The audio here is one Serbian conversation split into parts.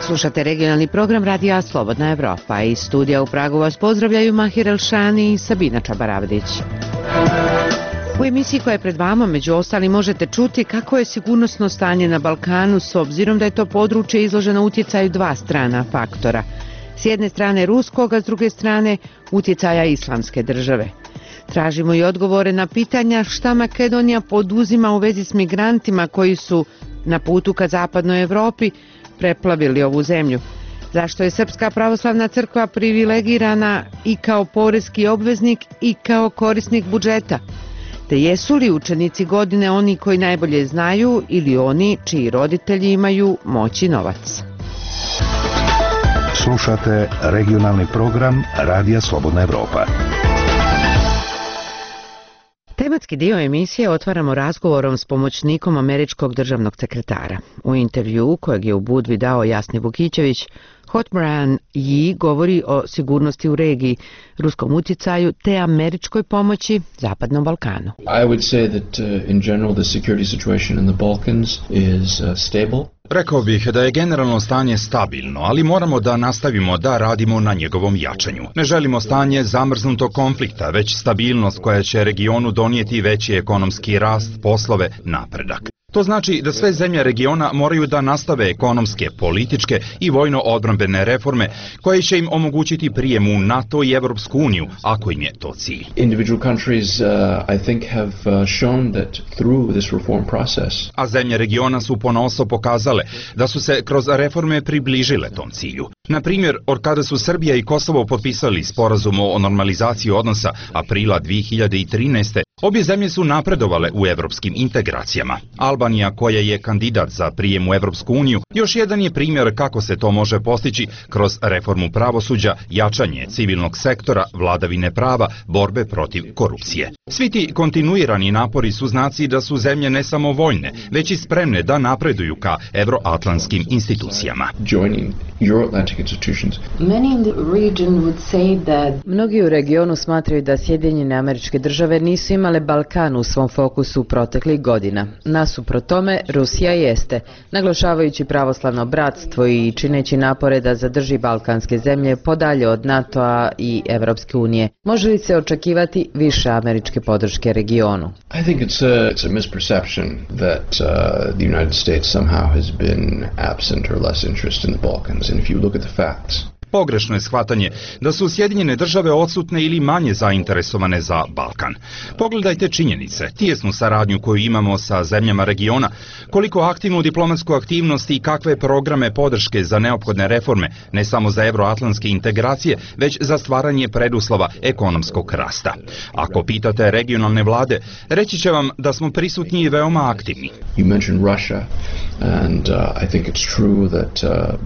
Slušate regionalni program Radija Slobodna Evropa. Iz studija u Pragu vas pozdravljaju Mahir Elšani i Sabina Čabaravdić. U emisiji koja je pred vama, među ostalim, možete čuti kako je sigurnosno stanje na Balkanu s obzirom da je to područje izloženo utjecaju dva strana faktora. S jedne strane ruskog, a s druge strane utjecaja islamske države. Tražimo i odgovore na pitanja šta Makedonija poduzima u vezi s migrantima koji su na putu ka zapadnoj Evropi preplavili ovu zemlju. Zašto je Srpska pravoslavna crkva privilegirana i kao poreski obveznik i kao korisnik budžeta? Te jesu li učenici godine oni koji najbolje znaju ili oni čiji roditelji imaju moć i novac? Slušate regionalni program Radija Slobodna Evropa. Tematski dio emisije otvaramo razgovorom s pomoćnikom američkog državnog sekretara. U intervjuu kojeg je u Budvi dao Jasni Vukićević, Hotmaran Yi govori o sigurnosti u regiji, ruskom utjecaju te američkoj pomoći Zapadnom Balkanu. I would say that in general the security situation in the Balkans is stable. Rekao bih da je generalno stanje stabilno, ali moramo da nastavimo da radimo na njegovom jačanju. Ne želimo stanje zamrznutog konflikta, već stabilnost koja će regionu donijeti veći ekonomski rast, poslove, napredak. To znači da sve zemlje regiona moraju da nastave ekonomske, političke i vojno-odbrambene reforme koje će im omogućiti prijem u NATO i Evropsku uniju, ako im je to cilj. Individual countries, I think, have shown that through this reform process. A zemlje regiona su ponosno pokazale da su se kroz reforme približile tom cilju. Na primjer, od kada su Srbija i Kosovo potpisali sporazum o normalizaciji odnosa aprila 2013. Obje zemlje su napredovale u evropskim integracijama. Albanija, koja je kandidat za prijem u Evropsku uniju, još jedan je primjer kako se to može postići kroz reformu pravosuđa, jačanje civilnog sektora, vladavine prava, borbe protiv korupcije. Svi ti kontinuirani napori su znaci da su zemlje ne samo voljne, već i spremne da napreduju ka evroatlantskim institucijama. Mnogi u regionu smatraju da Sjedinjene Američke Države nisu imale Balkan u svom fokusu proteklih godina. Nasuprot tome, Rusija jeste, naglašavajući pravoslavno bratstvo i čineći napore da zadrži balkanske zemlje podalje od NATO-a i Evropske unije. Može li se očekivati više američke podrške regionu? I think it's a misperception that the United States somehow has been absent or less interest in the Balkans. And if you look at the facts, pogrešno je shvatanje da su Sjedinjene Države odsutne ili manje zainteresovane za Balkan. Pogledajte činjenice, tijesnu saradnju koju imamo sa zemljama regiona, koliko aktivnu diplomatsku aktivnost i kakve programe podrške za neophodne reforme, ne samo za evroatlantske integracije, već za stvaranje preduslova ekonomskog rasta. Ako pitate regionalne vlade, reći će vam da smo prisutni i veoma aktivni. You mentioned Russia, and I think it's true that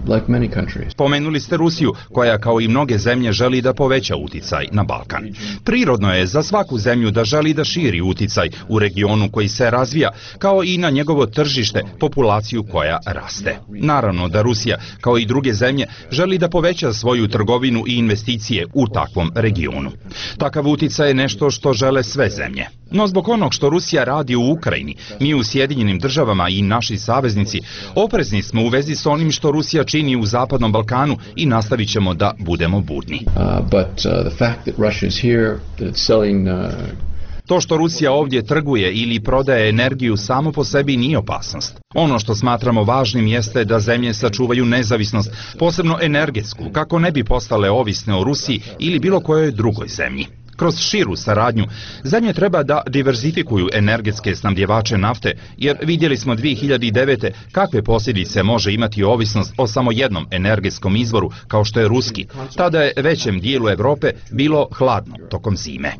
like many countries. Pomenuli ste Rusiju, koja kao i mnoge zemlje želi da poveća uticaj na Balkan. Prirodno je za svaku zemlju da želi da širi uticaj u regionu koji se razvija, kao i na njegovo tržište, populaciju koja raste. Naravno da Rusija, kao i druge zemlje, želi da poveća svoju trgovinu i investicije u takvom regionu. Takav uticaj je nešto što žele sve zemlje. No zbog onog što Rusija radi u Ukrajini, mi u Sjedinjenim Državama i naši saveznici oprezni smo u vezi s onim što Rusija čini u Zapadnom Balkanu i nastavit ćemo da budemo budni. To što Rusija ovdje trguje ili prodaje energiju samo po sebi nije opasnost. Ono što smatramo važnim jeste da zemlje sačuvaju nezavisnost, posebno energetsku, kako ne bi postale ovisne o Rusiji ili bilo kojoj drugoj zemlji. Kroz širu saradnju, zemlje treba da diverzifikuju energetske snabdjevače nafte, jer vidjeli smo 2009. kakve posljedice može imati ovisnost o samo jednom energetskom izvoru, kao što je ruski. Tada je većem dijelu Europe bilo hladno tokom zime.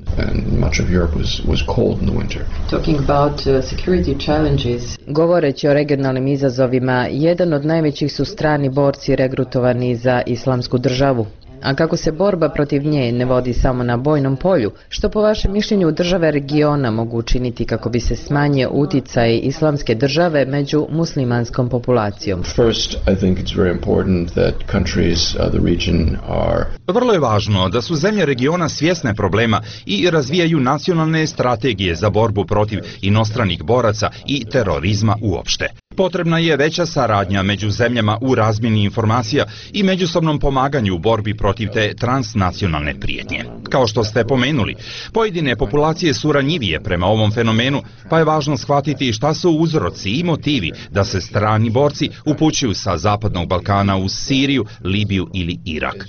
Govoreći o regionalnim izazovima, jedan od najvećih su strani borci regrutovani za Islamsku državu. A kako se borba protiv nje ne vodi samo na bojnom polju, što po vašem mišljenju države regiona mogu učiniti kako bi se smanjio uticaj islamske države među muslimanskom populacijom? First, I think it's very important that countries of the region are... Vrlo je važno da su zemlje regiona svjesne problema i razvijaju nacionalne strategije za borbu protiv inostranih boraca i terorizma uopšte. Potrebna je veća saradnja među zemljama u razmjeni informacija i međusobnom pomaganju u borbi protiv te transnacionalne prijetnje. Kao što ste pomenuli, pojedine populacije su ranjivije prema ovom fenomenu, pa je važno shvatiti šta su uzroci i motivi da se strani borci upućuju sa Zapadnog Balkana u Siriju, Libiju ili Irak.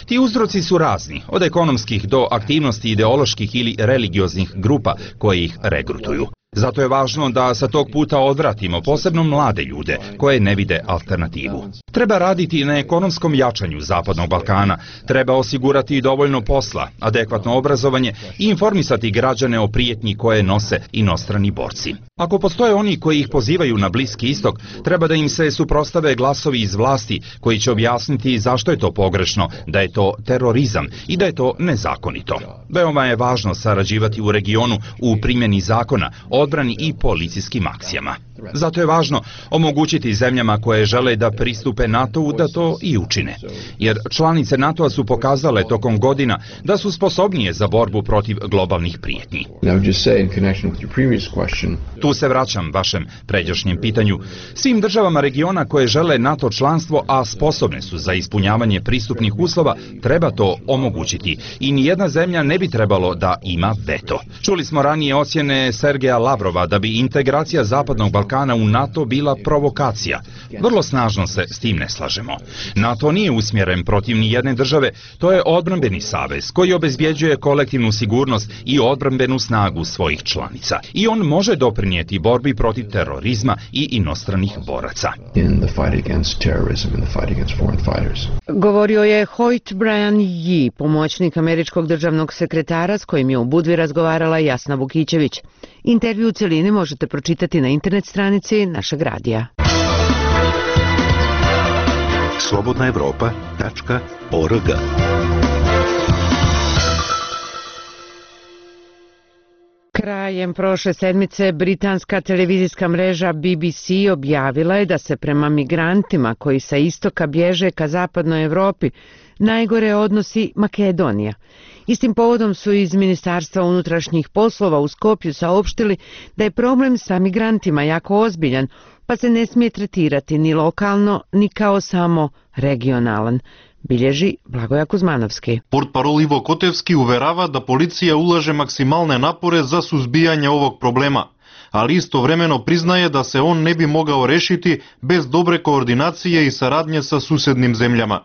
Ti uzroci su razni, od ekonomskih do aktivnosti ideoloških ili religioznih grupa koje ih regrutuju. Zato je važno da sa tog puta odvratimo posebno mlade ljude koje ne vide alternativu. Treba raditi na ekonomskom jačanju Zapadnog Balkana, treba osigurati dovoljno posla, adekvatno obrazovanje i informisati građane o prijetnji koje nose inostrani borci. Ako postoje oni koji ih pozivaju na Bliski istok, treba da im se suprotstave glasovi iz vlasti koji će objasniti zašto je to pogrešno, da je to terorizam i da je to nezakonito. Veoma je važno sarađivati u regionu u primjeni zakona, odbrani i policijskim akcijama. Zato je važno omogućiti zemljama koje žele da pristupe NATO-u da to i učine. Jer članice NATO-a su pokazale tokom godina da su sposobnije za borbu protiv globalnih prijetnji. Tu se vraćam vašem pređašnjem pitanju. Svim državama regiona koje žele NATO članstvo, a sposobne su za ispunjavanje pristupnih uslova, treba to omogućiti. I nijedna zemlja ne bi trebalo da ima veto. Čuli smo ranije ocjene Sergeja Lavrova da bi integracija Zapadnog Balkana u NATO bila provokacija. Vrlo snažno se s tim ne slažemo. NATO nije usmjeren protiv nijedne države, to je odbrambeni savez koji obezbjeđuje kolektivnu sigurnost i odbrambenu snagu svojih članica. I on može doprinijeti borbi protiv terorizma i inostranih boraca. Govorio je Hoyt Brian Yee, pomoćnik američkog državnog sekretara s kojim je u Budvi razgovarala Jasna Vukićević. Intervju u celini možete pročitati na internet stranici našeg radija. slobodnaevropa.org. Krajem prošle sedmice britanska televizijska mreža BBC objavila je da se prema migrantima koji sa istoka bježe ka zapadnoj Evropi najgore odnosi Makedonija. Istim povodom su iz Ministarstva unutrašnjih poslova u Skopju saopštili da je problem sa migrantima jako ozbiljan, pa se ne smije tretirati ni lokalno, ni kao samo regionalan. Bilježi Blagoja Kuzmanovski. Portparol Ivo Kotevski uverava da policija ulaže maksimalne napore za suzbijanje ovog problema, ali istovremeno priznaje da se on ne bi mogao rešiti bez dobre koordinacije i saradnje sa susednim zemljama.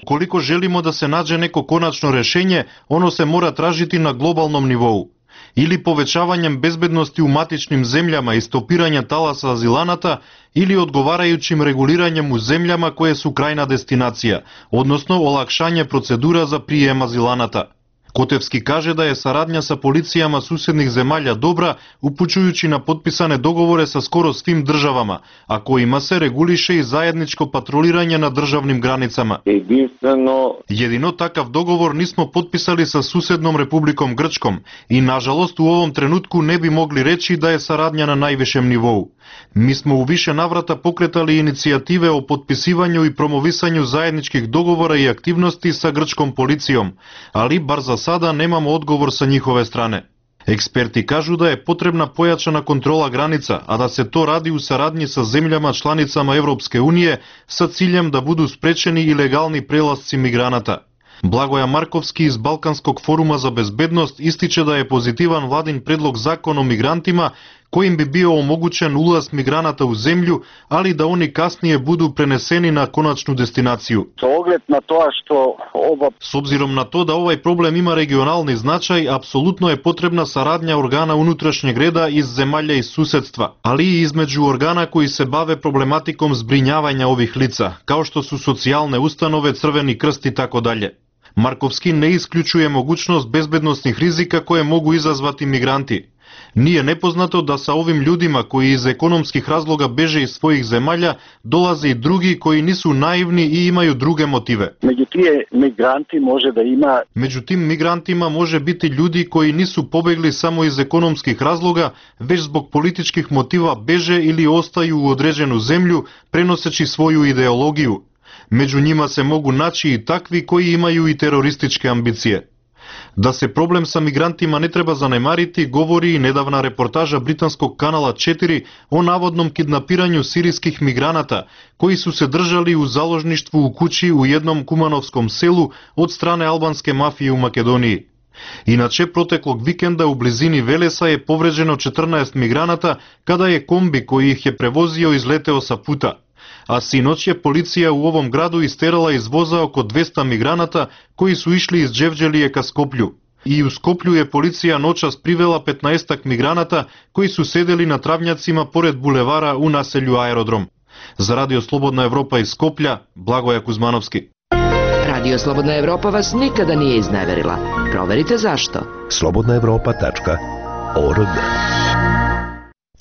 Koliko želimo da se nađe neko konačno rešenje, ono se mora tražiti na globalnom nivou. Ili povećavanjem bezbednosti u matičnim zemljama i stopiranja talasa azilanata, ili odgovarajućim reguliranjem u zemljama koje su krajna destinacija, odnosno olakšanje procedura za prijem azilanata. Котевски каже да е сарадња sa полицијама суседних земјалја добра, упучујуći на потписане договори со скоро свим државама, а којима се регулише и заедничко патролирање на државним границама. Едино такав договор нисмо потписали со суседном Републиком Грчком и, нажалост, у овом тренутку не би могли речи да е сарадња на највишем нивоу. Ми смо у више наврата покретали иницијативе о потписивању и промовисању заедничких договора и активности sa грчком полицијом, али бар за сада немамо одговор sa njihove strane. Експерти кажу да е потребна појачана контрола граница, а да се то ради у сарадњи sa земјама чланицама Европске уније sa циљем да буду спречени илегални преласци миграната. Благоја Марковски из Балканског форума за безбедност истиче да е позитиван владин предлог закон о мигрантима којим би био омогучен улаз миграната у земљу, али да они каснije буду пренесени на коначну дестинацију. С обзиром на то да овај проблем има регионални значај, апсолутно е потребна сарадња органа унутрашњег реда из земјалја и суседства, али и измеѓу органа кои се баве проблематиком збринјавања ових лица, као што су социјалне установе, Црвени крст и тако даље. Марковски не исклучуе могучност безбедносних ризика кои могу изазвати мигранти. Nije nepoznato da sa ovim ljudima koji iz ekonomskih razloga beže iz svojih zemalja dolaze i drugi koji nisu naivni i imaju druge motive. Među tim migrantima može biti ljudi koji nisu pobegli samo iz ekonomskih razloga, već zbog političkih motiva beže ili ostaju u određenu zemlju prenoseći svoju ideologiju. Među njima se mogu naći i takvi koji imaju i terorističke ambicije. Da se problem sa migrantima ne treba zanemariti, govori i nedavna reportaža britanskog kanala 4 o navodnom kidnapiranju sirijskih migranata koji su se držali u založništvu u kući u jednom kumanovskom selu od strane albanske mafije u Makedoniji. Inače, proteklog vikenda u blizini Velesa je povređeno 14 migranata kada je kombi koji ih je prevozio izleteo sa puta. A sinoć je policija u ovom gradu isterala iz voza oko 200 migranata koji su išli iz Đevđelije ka Skoplju. I u Skoplju je policija noćas privela 15-ak migranata koji su sedeli na travnjacima pored bulevara u naselju Aerodrom. Za Radio Slobodna Evropa iz Skoplja, Blagoja Kuzmanovski. Radio Slobodna Evropa vas nikada nije izneverila. Proverite zašto. slobodnaevropa.org.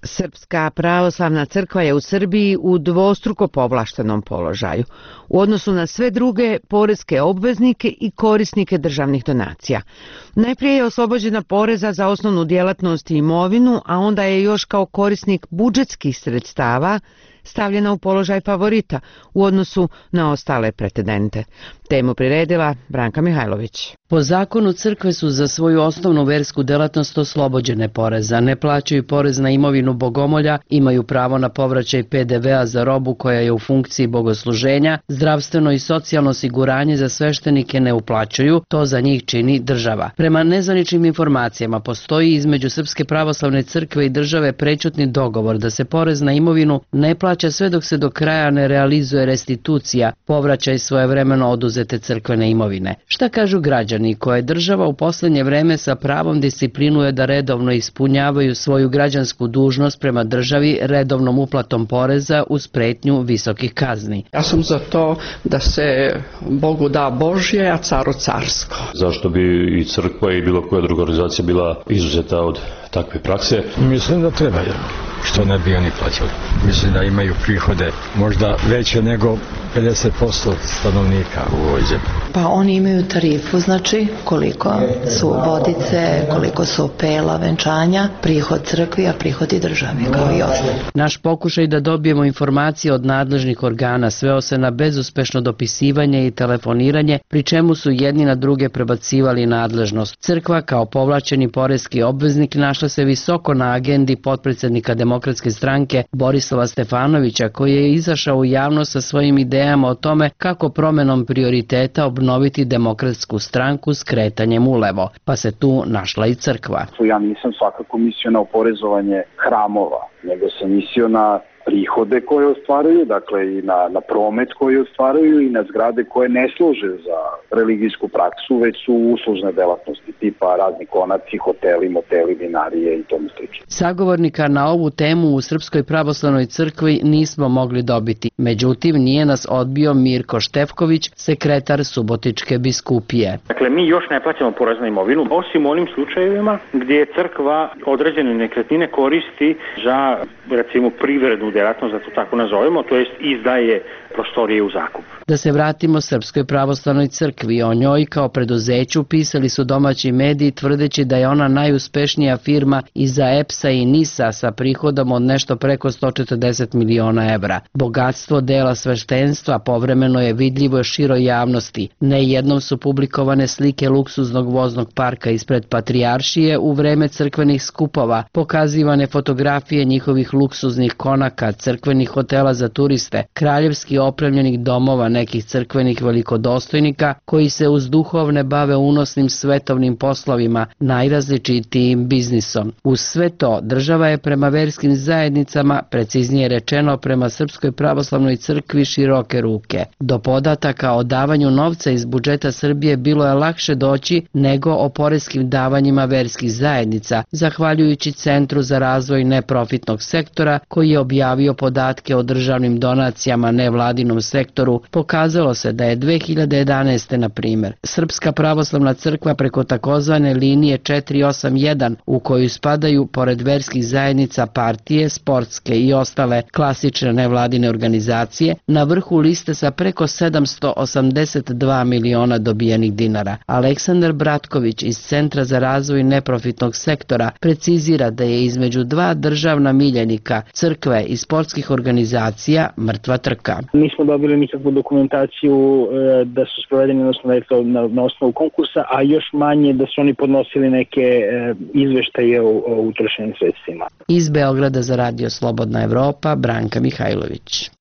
Srpska pravoslavna crkva je u Srbiji u dvostruko povlaštenom položaju u odnosu na sve druge poreske obveznike i korisnike državnih donacija. Najprije je oslobođena poreza za osnovnu djelatnost i imovinu, a onda je još kao korisnik budžetskih sredstava stavljena u položaj favorita u odnosu na ostale pretendente. Temu priredila Branka Mihajlović. Po zakonu crkve su za svoju osnovnu versku delatnost oslobođene poreza, ne plaćaju porez na imovinu bogomolja, imaju pravo na povraćaj PDV-a za robu koja je u funkciji bogosluženja, zdravstveno i socijalno osiguranje za sveštenike ne uplaćuju, to za njih čini država. Prema nezvaničnim informacijama postoji između Srpske pravoslavne crkve i države prečutni dogovor da se porez na imovinu ne plaća sve dok se do kraja ne realizuje restitucija, povraćaj svojevremeno oduzete crkvene imovine. Šta kažu građani koje država u posljednje vreme sa pravom disciplinuje da redovno ispunjavaju svoju građansku dužnost prema državi redovnom uplatom poreza uz pretnju visokih kazni? Ja sam za to da se Bogu da Božje, a caru carsko. Zašto bi i crkva i bilo koja druga organizacija bila izuzeta od takve prakse? Mislim da treba, što ne bi oni plaćali. Mislim da imaju prihode možda veće nego 50% stanovnika u ovoj zemlji. Pa oni imaju tarifu, znači koliko su vodice, koliko su pela, venčanja, prihod crkvi, a prihod i državi, kao i ostali. Naš pokušaj da dobijemo informacije od nadležnih organa sveo se na bezuspešno dopisivanje i telefoniranje, pri čemu su jedni na druge prebacivali nadležnost. Crkva kao povlačeni poreski obveznik našla se visoko na agendi potpredsjednika Demokratske stranke Borislava Stefanovića, koji je izašao u javnost sa svojim idejama o tome kako promenom prioriteta obnoviti Demokratsku stranku s kretanjem ulevo, pa se tu našla i crkva. Ja nisam svakako mislio na oporezovanje hramova, nego sam mislio na prihode koje ostvaruju, dakle i na promet koji ostvaruju i na zgrade koje ne služe za religijsku praksu, već su uslužne delatnosti tipa razni konaci, hoteli, moteli, vinarije i tomu slično. Sagovornika na ovu temu u Srpskoj pravoslavnoj crkvi nismo mogli dobiti. Međutim, nije nas odbio Mirko Štefković, sekretar Subotičke biskupije. Dakle, mi još ne plaćamo porez na imovinu, osim onim slučajevima gdje crkva određene nekretnine koristi za, recimo, privrednu djelatnost, da to tako nazovemo, to jest izdaje prostorije u zakup. Da se vratimo Srpskoj pravoslavnoj crkvi, o njoj kao preduzeću pisali su domaći mediji tvrdeći da je ona najuspešnija firma iza EPS-a i NIS-a sa prihodom od nešto preko 140 miliona evra. Bogatstvo dela sveštenstva povremeno je vidljivo široj javnosti. Nejednom su publikovane slike luksuznog voznog parka ispred Patrijaršije u vreme crkvenih skupova, pokazivane fotografije njihovih luksuznih konaka, crkvenih hotela za turiste, kraljevski opremljenih domova nekih crkvenih velikodostojnika koji se uz duhovne bave unosnim svetovnim poslovima, najrazličitijim biznisom. Uz sve to, država je prema verskim zajednicama, preciznije rečeno prema Srpskoj pravoslavnoj crkvi, široke ruke. Do podataka o davanju novca iz budžeta Srbije bilo je lakše doći nego o poreskim davanjima verskih zajednica, zahvaljujući Centru za razvoj neprofitnog sektora koji je objavio podatke o državnim donacijama nevladinom sektoru. Pokazalo se da je 2011. jeste, na primjer, Srpska pravoslavna crkva preko takozvane linije 481 u koju spadaju, pored verskih zajednica, partije, sportske i ostale klasične nevladine organizacije, na vrhu liste sa preko 782 miliona dobijenih dinara. Aleksandar Bratković iz Centra za razvoj neprofitnog sektora precizira da je između dva državna miljenika, crkve i sportskih organizacija, mrtva trka. Nismo dobili nikakvu dokumentaciju da su sprovedeni na osnovu konkursa, a još manje da su oni podnosili neke izveštaje o utrošenim sredstvima. Iz Beograda za Radio Slobodna Evropa, Branka Mihajlović.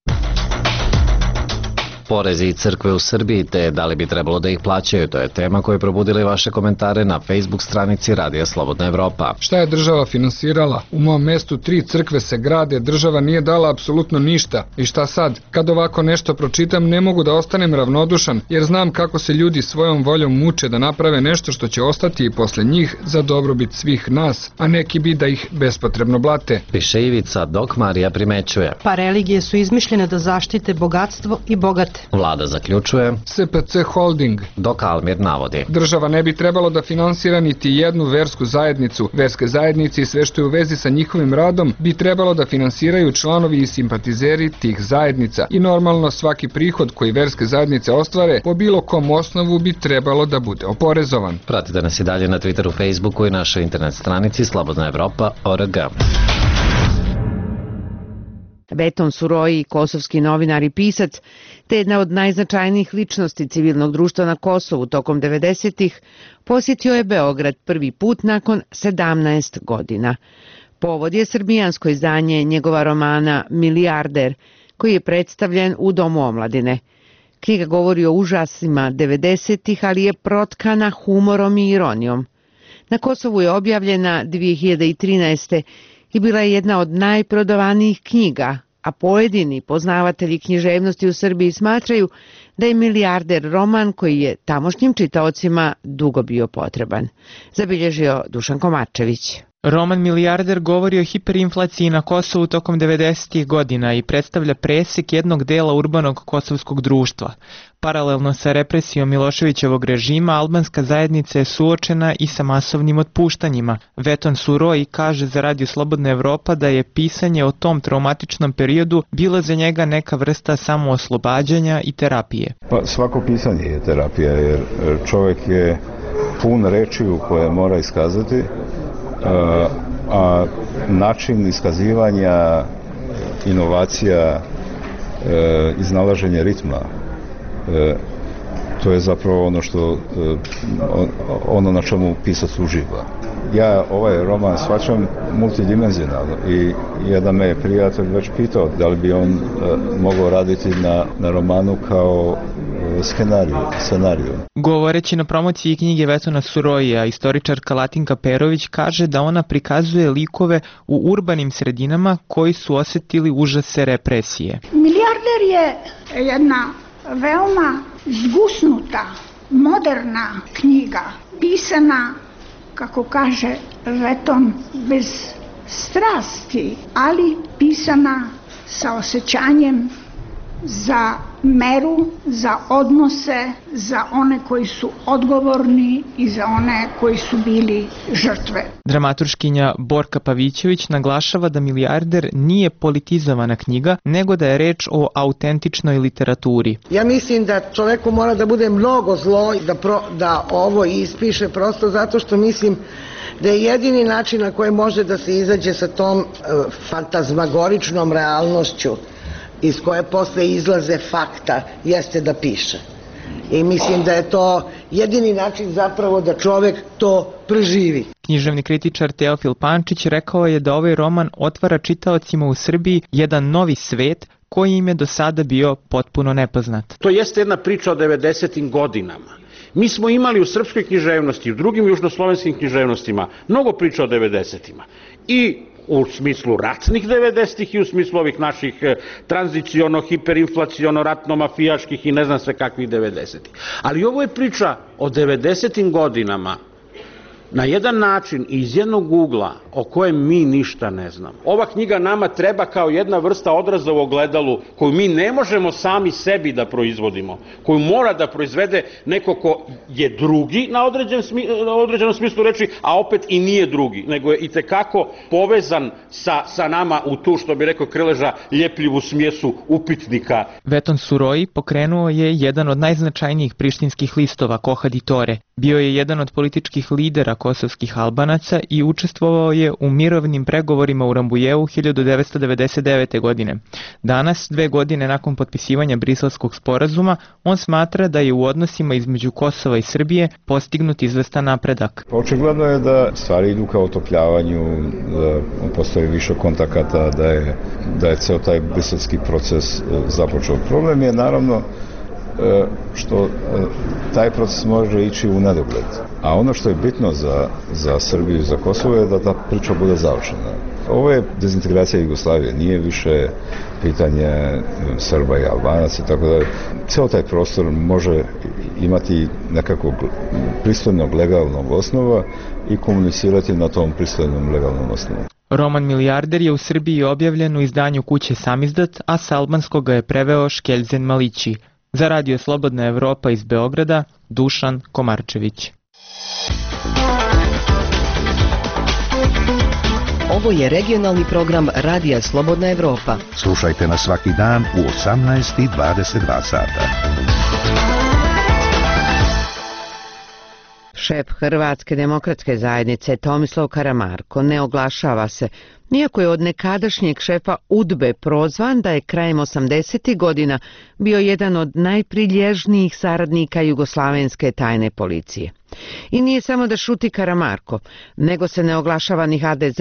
Porezi i crkve u Srbiji, te da li bi trebalo da ih plaćaju, to je tema koja je probudila vaše komentare na Facebook stranici Radija Slobodna Evropa. Šta je država finansirala? U mom mestu 3 crkve se grade, država nije dala apsolutno ništa. I šta sad? Kad ovako nešto pročitam, ne mogu da ostanem ravnodušan, jer znam kako se ljudi svojom voljom muče da naprave nešto što će ostati i posle njih za dobrobit svih nas, a neki bi da ih bespotrebno blate. Piše Ivica, dok Marija primećuje. Pa religije su izmišljene da zaštite bogatstvo i bogate. Vlada zaključuje. SPC Holding. Dok Almir navodi. Država ne bi trebalo da finansira niti jednu versku zajednicu. Verske zajednice i sve što je u vezi sa njihovim radom bi trebalo da finansiraju članovi i simpatizeri tih zajednica. I normalno svaki prihod koji verske zajednice ostvare po bilo kom osnovu bi trebalo da bude oporezovan. Pratite nas i dalje na Twitteru, Facebooku i našoj internet stranici slobodnaevropa.org. Veton Suroji, kosovski novinar i pisac, te jedna od najznačajnijih ličnosti civilnog društva na Kosovu tokom 90-ih, posjetio je Beograd prvi put nakon 17 godina. Povod je srbijansko izdanje njegova romana Milijarder, koji je predstavljen u Domu omladine. Knjiga govori o užasima 90-ih, ali je protkana humorom i ironijom. Na Kosovu je objavljena 2013. i bila je jedna od najprodavanijih knjiga, a pojedini poznavatelji književnosti u Srbiji smatraju da je Milijarder roman koji je tamošnjim čitaocima dugo bio potreban. Zabilježio Dušan Komarčević. Roman Milijarder govori o hiperinflaciji na Kosovu tokom 90-ih godina i predstavlja presek jednog dela urbanog kosovskog društva. Paralelno sa represijom Miloševićevog režima, albanska zajednica je suočena i sa masovnim otpuštanjima. Veton Suroji kaže za Radio Slobodna Evropa da je pisanje o tom traumatičnom periodu bilo za njega neka vrsta samooslobađanja i terapije. Pa svako pisanje je terapija, jer čovjek je pun rečiju koje mora iskazati, a način iskazivanja, inovacija, iznalaženje ritma, to je zapravo ono na čemu pisac uživa. Ja ovaj roman shvaćam multidimenzionalno i jedan me je prijatelj već pitao da li bi on mogao raditi na romanu kao scenariju. Govoreći na promociji knjige Vetona Surojija, istoričarka Latinka Perović kaže da ona prikazuje likove u urbanim sredinama koji su osjetili užase represije. Milijarder je jedna veoma zgusnuta, moderna knjiga, pisana, kako kaže Veton, bez strasti, ali pisana sa osjećanjem za meru, za odnose, za one koji su odgovorni i za one koji su bili žrtve. Dramaturškinja Borka Pavićević naglašava da Milijarder nije politizovana knjiga, nego da je reč o autentičnoj literaturi. Ja mislim da čoveku mora da bude mnogo zlo da ovo ispiše, prosto zato što mislim da je jedini način na koji može da se izađe sa tom fantazmagoričnom realnošću iz koje posle izlaze fakta, jeste da piše. I mislim da je to jedini način zapravo da čovek to preživi. Književni kritičar Teofil Pančić rekao je da ovaj roman otvara čitaocima u Srbiji jedan novi svet koji im je do sada bio potpuno nepoznat. To jeste jedna priča o 90. godinama. Mi smo imali u srpskoj književnosti i u drugim južnoslovenskim književnostima mnogo priča o 90-ima. I u smislu ratnih 90-ih i u smislu ovih naših tranziciono, hiperinflaciono, ratno-mafijaških i ne znam sve kakvih 90-ih. Ali ovo je priča o 90-im godinama na jedan način iz jednog ugla o kojem mi ništa ne znamo. Ova knjiga nama treba kao jedna vrsta odraza u ogledalu koju mi ne možemo sami sebi da proizvodimo, koju mora da proizvede neko ko je drugi na određenom smislu reči, a opet i nije drugi, nego je itekako povezan sa nama u tu, što bi rekao Krleža, ljepljivu smjesu upitnika. Veton Suroji pokrenuo je jedan od najznačajnijih prištinskih listova Koha di Tore. Bio je jedan od političkih lidera kosovskih Albanaca i učestvovao je u mirovnim pregovorima u Rambujevu 1999. godine. Danas, 2 godine nakon potpisivanja Briselskog sporazuma, on smatra da je u odnosima između Kosova i Srbije postignut izvestan napredak. Očigledno je da stvari idu ka otopljavanju, da postoji više kontakata, da je ceo taj briselski proces započeo. Problem je naravno što taj proces može ići u nedogled. A ono što je bitno za Srbiju i za Kosovo je da ta priča bude završena. Ovo je dezintegracija Jugoslavije, nije više pitanje Srba i Albanaca i tako da. Ceo taj prostor može imati nekakvog pristojnog legalnog osnova i komunicirati na tom pristojnom legalnom osnovu. Roman Milijarder je u Srbiji objavljen u izdanju kuće Samizdat, a s albanskog ga je preveo Škeljzen Malići. Za Radio Slobodna Evropa iz Beograda, Dušan Komarčević. Ovo je regionalni program Radija Slobodna Evropa. Slušajte nas svaki dan u 18:22 sata. Šef Hrvatske demokratske zajednice Tomislav Karamarko ne oglašava se, iako je od nekadašnjeg šefa UDBE prozvan da je krajem 80. godina bio jedan od najprilježnijih saradnika jugoslavenske tajne policije. I nije samo da šuti Karamarko, nego se ne oglašava ni HDZ.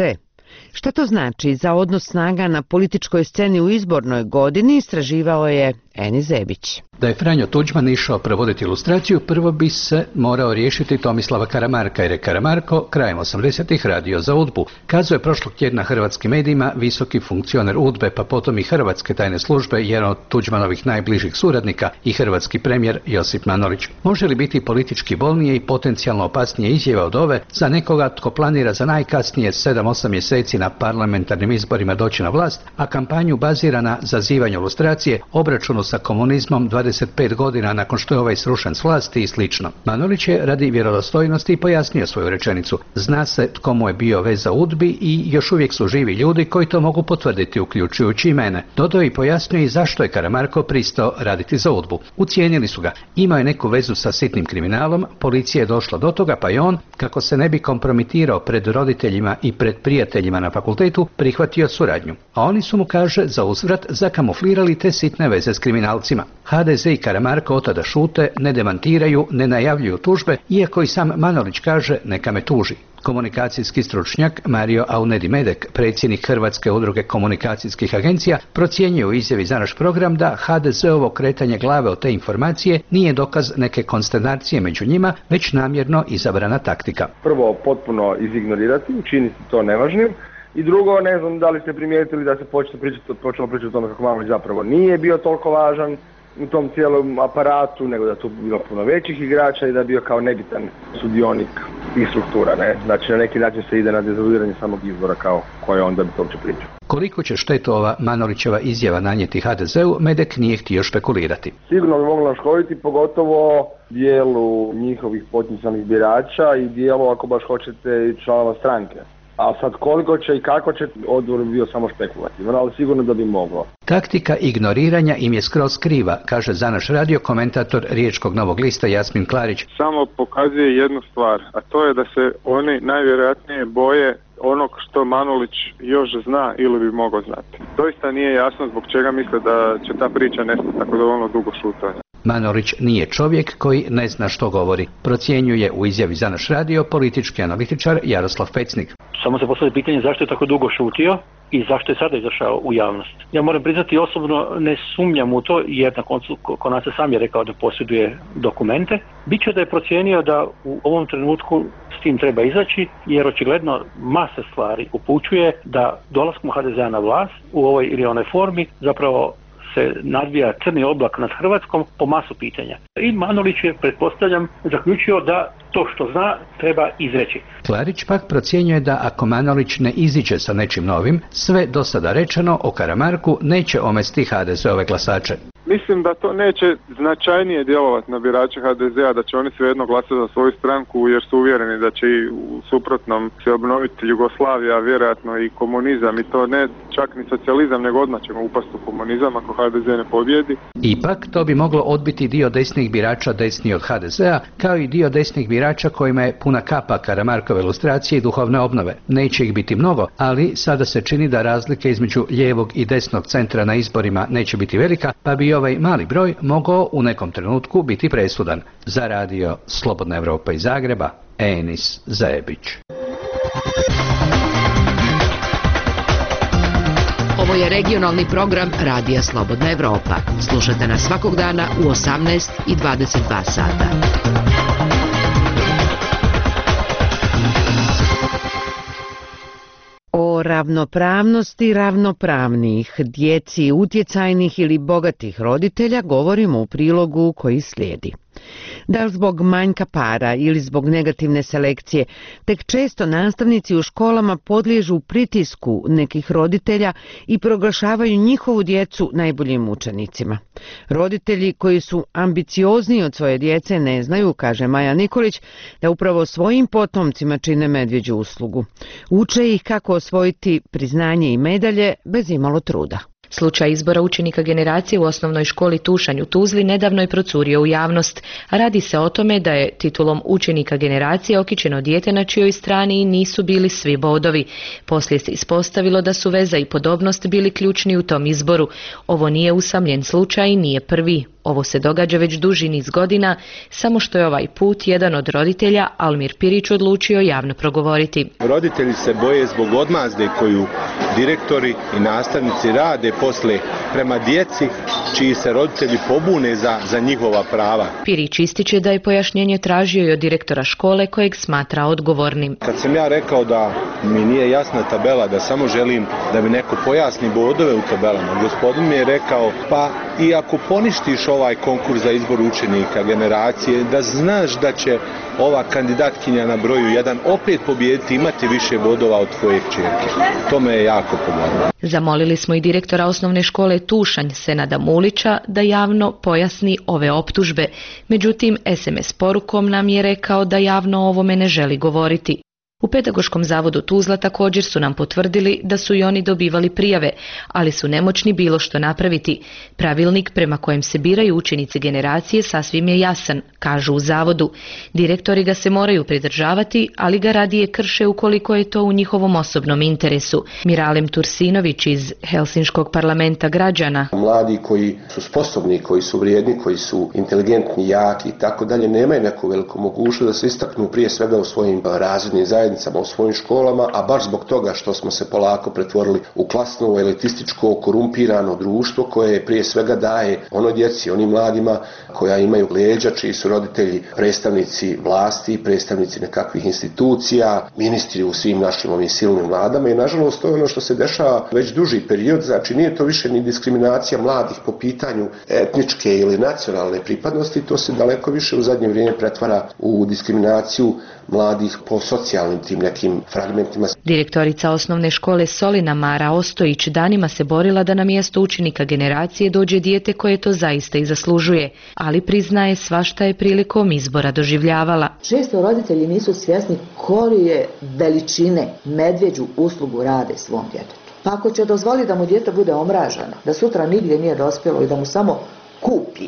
Šta to znači za odnos snaga na političkoj sceni u izbornoj godini, istraživao je Eni Zebić. Da je Franjo Tuđman išao provoditi ilustraciju, prvo bi se morao riješiti Tomislava Karamarka, jer je Karamarko krajem 80-ih radio za UDBU. Kazao je prošlog tjedna hrvatskim medijima visoki funkcioner UDBE, pa potom i hrvatske tajne službe, jedan od Tuđmanovih najbližih suradnika i hrvatski premijer Josip Manolić. Može li biti politički bolnije i potencijalno opasnije izjava od ove za nekoga tko planira za najkasnije 7-8 mjeseci na parlamentarnim izborima doći na vlast, a kampanju bazira na zazivanju lustracije, obračunu sa komunizmom 25 godina nakon što je ovaj srušen s vlasti i slično. Manolić je radi vjerodostojnosti pojasnio svoju rečenicu. Zna se tko mu je bio veza UDBI i još uvijek su živi ljudi koji to mogu potvrditi, uključujući i mene. Dodao i pojasnio i zašto je Karamarko pristao raditi za UDBU. Ucijenili su ga. Imao je neku vezu sa sitnim kriminalom, policija je došla do toga, pa i on, kako se ne bi kompromitirao pred roditeljima i pred prijateljima na fakultetu, prihvatio suradnju. A oni su mu, kaže, za uzvrat zakamuflirali te sitne veze s kriminalcima. HDZ i Karamarko od tada šute, ne demantiraju, ne najavljuju tužbe, iako i sam Manolić kaže neka me tuži. Komunikacijski stručnjak Mario Aunedi Medek, predsjednik Hrvatske udruge komunikacijskih agencija, procjenjuje u izjavi za naš program da HDZ-ovo kretanje glave od te informacije nije dokaz neke konsternacije među njima, već namjerno izabrana taktika. Prvo, potpuno izignorirati, učiniti to nevažnim. I drugo, ne znam da li ste primijetili da se počelo pričati o tome kako Manolić zapravo nije bio toliko važan u tom cijelom aparatu, nego da tu bilo puno većih igrača i da je bio kao nebitan sudionik tih struktura. Ne? Znači na neki način se ide na dezavuiranje samog izbora kao koje onda bi to uopće pričao. Koliko će štetu ova Manolićeva izjava nanijeti HDZ-u, Medek nije htio špekulirati. Sigurno bi moglo naškoditi, pogotovo dijelu njihovih potencijalnih birača i dijelu, ako baš hoćete, i članova stranke. A sad koliko će i kako će, odgovor bi bio samo špekulativan, ali sigurno da bi moglo. Taktika ignoriranja im je skroz kriva, kaže za naš radio komentator Riječkog Novog lista Jasmin Klarić. Samo pokazuje jednu stvar, a to je da se oni najvjerojatnije boje onog što Manolić još zna ili bi mogao znati. Doista nije jasno zbog čega misle da će ta priča nestati tako dovoljno dugo šutanja. Manolić nije čovjek koji ne zna što govori, procjenjuje u izjavi za naš radio politički analitičar Jaroslav Pecnik. Samo se postavlja pitanje zašto je tako dugo šutio i zašto je sada izašao u javnost. Ja moram priznati, osobno ne sumnjam u to, jer na koncu Konace sam je rekao da posjeduje dokumente. Biće da je procijenio da u ovom trenutku s tim treba izaći, jer očigledno masa stvari upućuje da dolaskom HDZ-a na vlast u ovoj ili onoj formi zapravo se nadvija crni oblak nad Hrvatskom po masu pitanja. I Manolić je, pretpostavljam, zaključio da to što zna treba izreći. Klarić pak procjenjuje da ako Manolić ne iziđe sa nečim novim, sve do sada rečeno o Karamarku neće omesti HDZ-ove glasače. Mislim da to neće značajnije djelovati na birače HDZ-a, da će oni svejedno glasati za svoju stranku jer su uvjereni da će i u suprotnom se obnoviti Jugoslavija, vjerojatno i komunizam, i to ne čak ni socijalizam, nego odmah ćemo upasti u komunizam ako HDZ ne pobjedi. Ipak to bi moglo odbiti dio desnih birača desni od HDZ-a, kao i dio desnih birača kojima je puna kapa Karamarkove ilustracije i duhovne obnove. Neće ih biti mnogo, ali sada se čini da razlike između lijevog i desnog centra na izborima neće biti velika, pa bi ovaj mali broj mogao u nekom trenutku biti presudan. Za radio Slobodna Evropa iz Zagreba, Enis Zajebić. Ovo je regionalni program Radija Slobodna Evropa. Slušajte nas svakog dana u 18 i 22 sata. O ravnopravnosti ravnopravnih, djeci utjecajnih ili bogatih roditelja govorimo u prilogu koji slijedi. Da li zbog manjka para ili zbog negativne selekcije, tek često nastavnici u školama podliježu pritisku nekih roditelja i proglašavaju njihovu djecu najboljim učenicima. Roditelji koji su ambiciozniji od svoje djece ne znaju, kaže Maja Nikolić, da upravo svojim potomcima čine medvjeđu uslugu. Uče ih kako osvojiti priznanje i medalje bez imalo truda. Slučaj izbora učenika generacije u osnovnoj školi Tušanj u Tuzli nedavno je procurio u javnost. Radi se o tome da je titulom učenika generacije okićeno dijete na čijoj strani nisu bili svi bodovi. Poslije se ispostavilo da su veza i podobnost bili ključni u tom izboru. Ovo nije usamljen slučaj i nije prvi. Ovo se događa već duži niz godina, samo što je ovaj put jedan od roditelja, Almir Pirić, odlučio javno progovoriti. Roditelji se boje zbog odmazde koju direktori i nastavnici rade posle prema djeci čiji se roditelji pobune za njihova prava. Pirić ističe da je pojašnjenje tražio i od direktora škole kojeg smatra odgovornim. Kad sam ja rekao da mi nije jasna tabela, da samo želim da mi neko pojasni bodove u tabelama, gospodin mi je rekao, pa i ako poništiš ovaj konkurs za izbor učenika generacije, da znaš da će ova kandidatkinja na broju 1 opet pobijediti, imati više bodova od tvoje kćerke. To me je jako pomoglo. Zamolili smo i direktora osnovne škole Tušanj, Senada Mulića, da javno pojasni ove optužbe. Međutim, SMS porukom nam je rekao da javno o ovome ne želi govoriti. U Pedagoškom zavodu Tuzla također su nam potvrdili da su i oni dobivali prijave, ali su nemoćni bilo što napraviti. Pravilnik prema kojem se biraju učenici generacije sasvim je jasan, kažu u zavodu. Direktori ga se moraju pridržavati, ali ga radije krše ukoliko je to u njihovom osobnom interesu. Miralem Tursinović iz Helsinškog parlamenta građana. Mladi koji su sposobni, koji su vrijedni, koji su inteligentni, jaki i tako dalje, nemaju neku veliku mogućnost da se istaknu prije svega u svojim razrednim zajednicama, u svojim školama, a baš zbog toga što smo se polako pretvorili u klasno, elitističko, korumpirano društvo koje prije svega daje onoj djeci, onim mladima koja imaju leđa, čiji su roditelji predstavnici vlasti, predstavnici nekakvih institucija, ministri u svim našim ovim silnim vladama i nažalost to je ono što se dešava već duži period, znači nije to više ni diskriminacija mladih po pitanju etničke ili nacionalne pripadnosti, to se daleko više u zadnje vrijeme pretvara u diskriminaciju mladih po socijalnim tim nekim fragmentima. Direktorica osnovne škole Solina Mara Ostojić danima se borila da na mjesto učenika generacije dođe dijete koje to zaista i zaslužuje, ali priznaje svašta je prilikom izbora doživljavala. Često roditelji nisu svjesni koje veličine medvjeđu uslugu rade svom djetetu. Pa ako će dozvoliti da mu dijete bude omraženo, da sutra nigdje nije dospjelo i da mu samo kupi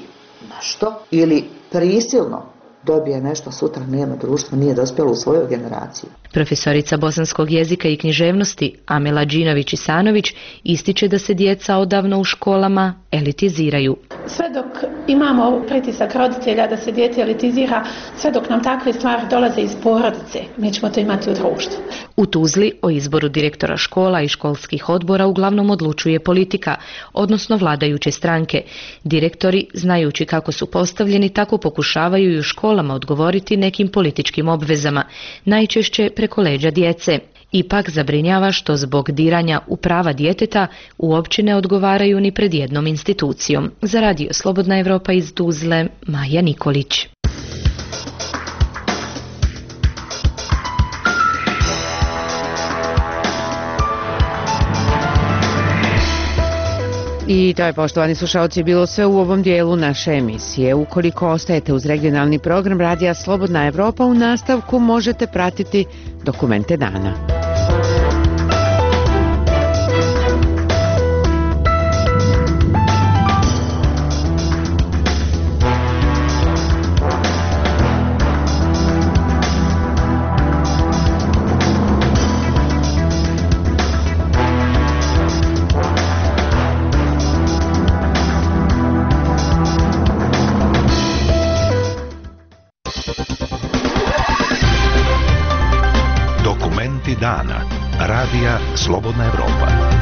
nešto ili prisilno dobije nešto, sutra nema društvo, nije dospjelo u svoju generaciju. Profesorica bosanskog jezika i književnosti Amela Đinović-Isanović ističe da se djeca odavno u školama elitiziraju. Sve dok imamo pritisak roditelja da se dijete elitizira, sve dok nam takve stvari dolaze iz porodice, mi ćemo to imati u društvu. U Tuzli o izboru direktora škola i školskih odbora uglavnom odlučuje politika, odnosno vladajuće stranke. Direktori, znajući kako su postavljeni, tako pokušavaju i u školama odgovoriti nekim političkim obvezama, najčešće preko leđa djece. Ipak zabrinjava što zbog diranja u prava djeteta uopće ne odgovaraju ni pred jednom institucijom. Za Radio Slobodna Evropa iz Tuzle, Maja Nikolić. I to je, poštovani slušalci, bilo sve u ovom dijelu naše emisije. Ukoliko ostajete uz regionalni program Radija Slobodna Evropa, u nastavku možete pratiti dokumente dana. Dana. Radija Slobodna Evropa.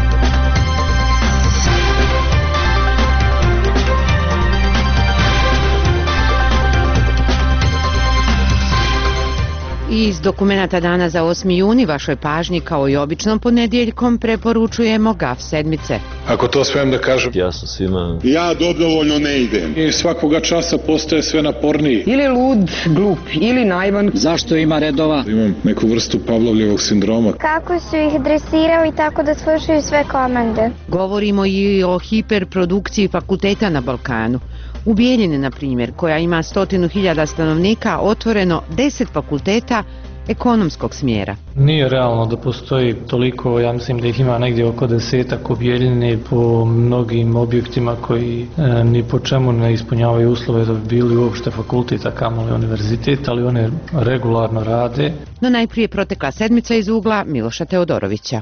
Iz dokumenata dana za 8. juni vašoj pažnji kao i običnom ponedjeljkom preporučujemo GAF sedmice. Ako to smijem da kažem, jasno svima. Ja dobrovoljno ne idem. I svakoga časa postaje sve naporniji. Ili lud, glup, ili naivan. Zašto ima redova? Imam neku vrstu Pavlovljevog sindroma. Kako su ih dresirali tako da slušaju sve komande. Govorimo i o hiperprodukciji fakulteta na Balkanu. U Bijeljini, na primjer, koja ima 100.000 stanovnika, otvoreno 10 fakulteta ekonomskog smjera. Nije realno da postoji toliko, ja mislim da ih ima negdje oko 10 u Bijeljini po mnogim objektima koji ni po čemu ne ispunjavaju uslove da bi bili uopšte fakultet, a kamoli univerzitet, ali one regularno rade. No najprije protekla sedmica iz ugla Miloša Teodorovića.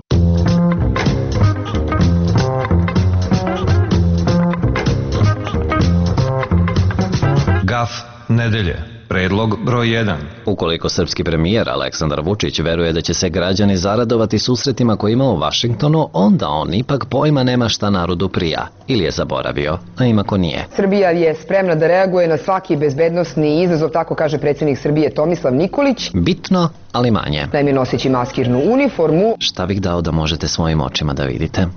GAF nedelje. Predlog broj 1. Ukoliko srpski premijer Aleksandar Vučić veruje da će se građani zaradovati susretima koje ima u Vašingtonu, onda on ipak pojma nema šta narodu prija. Ili je zaboravio, a ima ko nije. Srbija je spremna da reaguje na svaki bezbednosni izazov, tako kaže predsjednik Srbije Tomislav Nikolić. Bitno, ali manje. Naime, noseći maskirnu uniformu. Šta bih dao da možete svojim očima da vidite?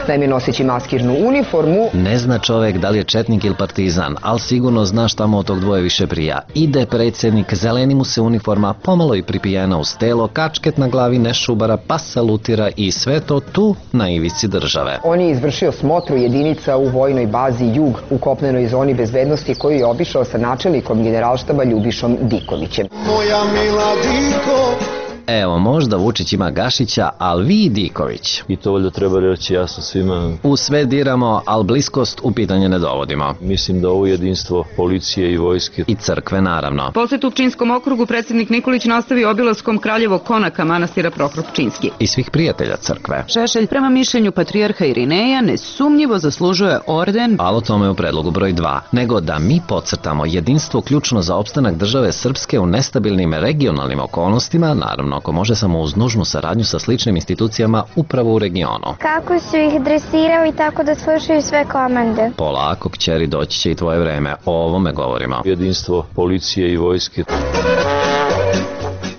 Naime, noseći maskirnu uniformu. Ne zna čovek da li je četnik ili partizan, ali sigurno zna šta mu od tog dvoje više prija. Ide predsjednik, zeleni mu se uniforma, pomalo i pripijena uz telo, kačket na glavi, ne šubara, pa salutira i sve to tu na ivici države. On je izvršio smotru jedinica u vojnoj bazi Jug u kopnenoj zoni bezbednosti koju je obišao sa načelnikom generalštaba Ljubišom Dikovićem. Moja mila Diko. Evo, možda Vučić ima Gašića, ali vi Diković. I to valjda treba reći jasno svima. U sve diramo, ali bliskost u pitanje ne dovodimo. Mislim da ovo jedinstvo policije i vojske. I crkve, naravno. Posjet u Pčinjskom okrugu predsjednik Nikolić nastavio obilaskom Kraljevog konaka manastira Prohrop Pčinjski. I svih prijatelja crkve. Šešelj, prema mišljenju patrijarha Irineja, nesumnjivo zaslužuje orden. Ali o tome u predlogu broj 2. Nego da mi podcrtamo jedinstvo ključno za opstanak države Srpske u nestabilnim regionalnim okolnostima, naravno ako može samo uz nužnu saradnju sa sličnim institucijama upravo u regionu. Kako su ih dresirali tako da slušaju sve komande. Polako, kćeri, doći će i tvoje vreme. O ovome govorimo. Jedinstvo policije i vojske.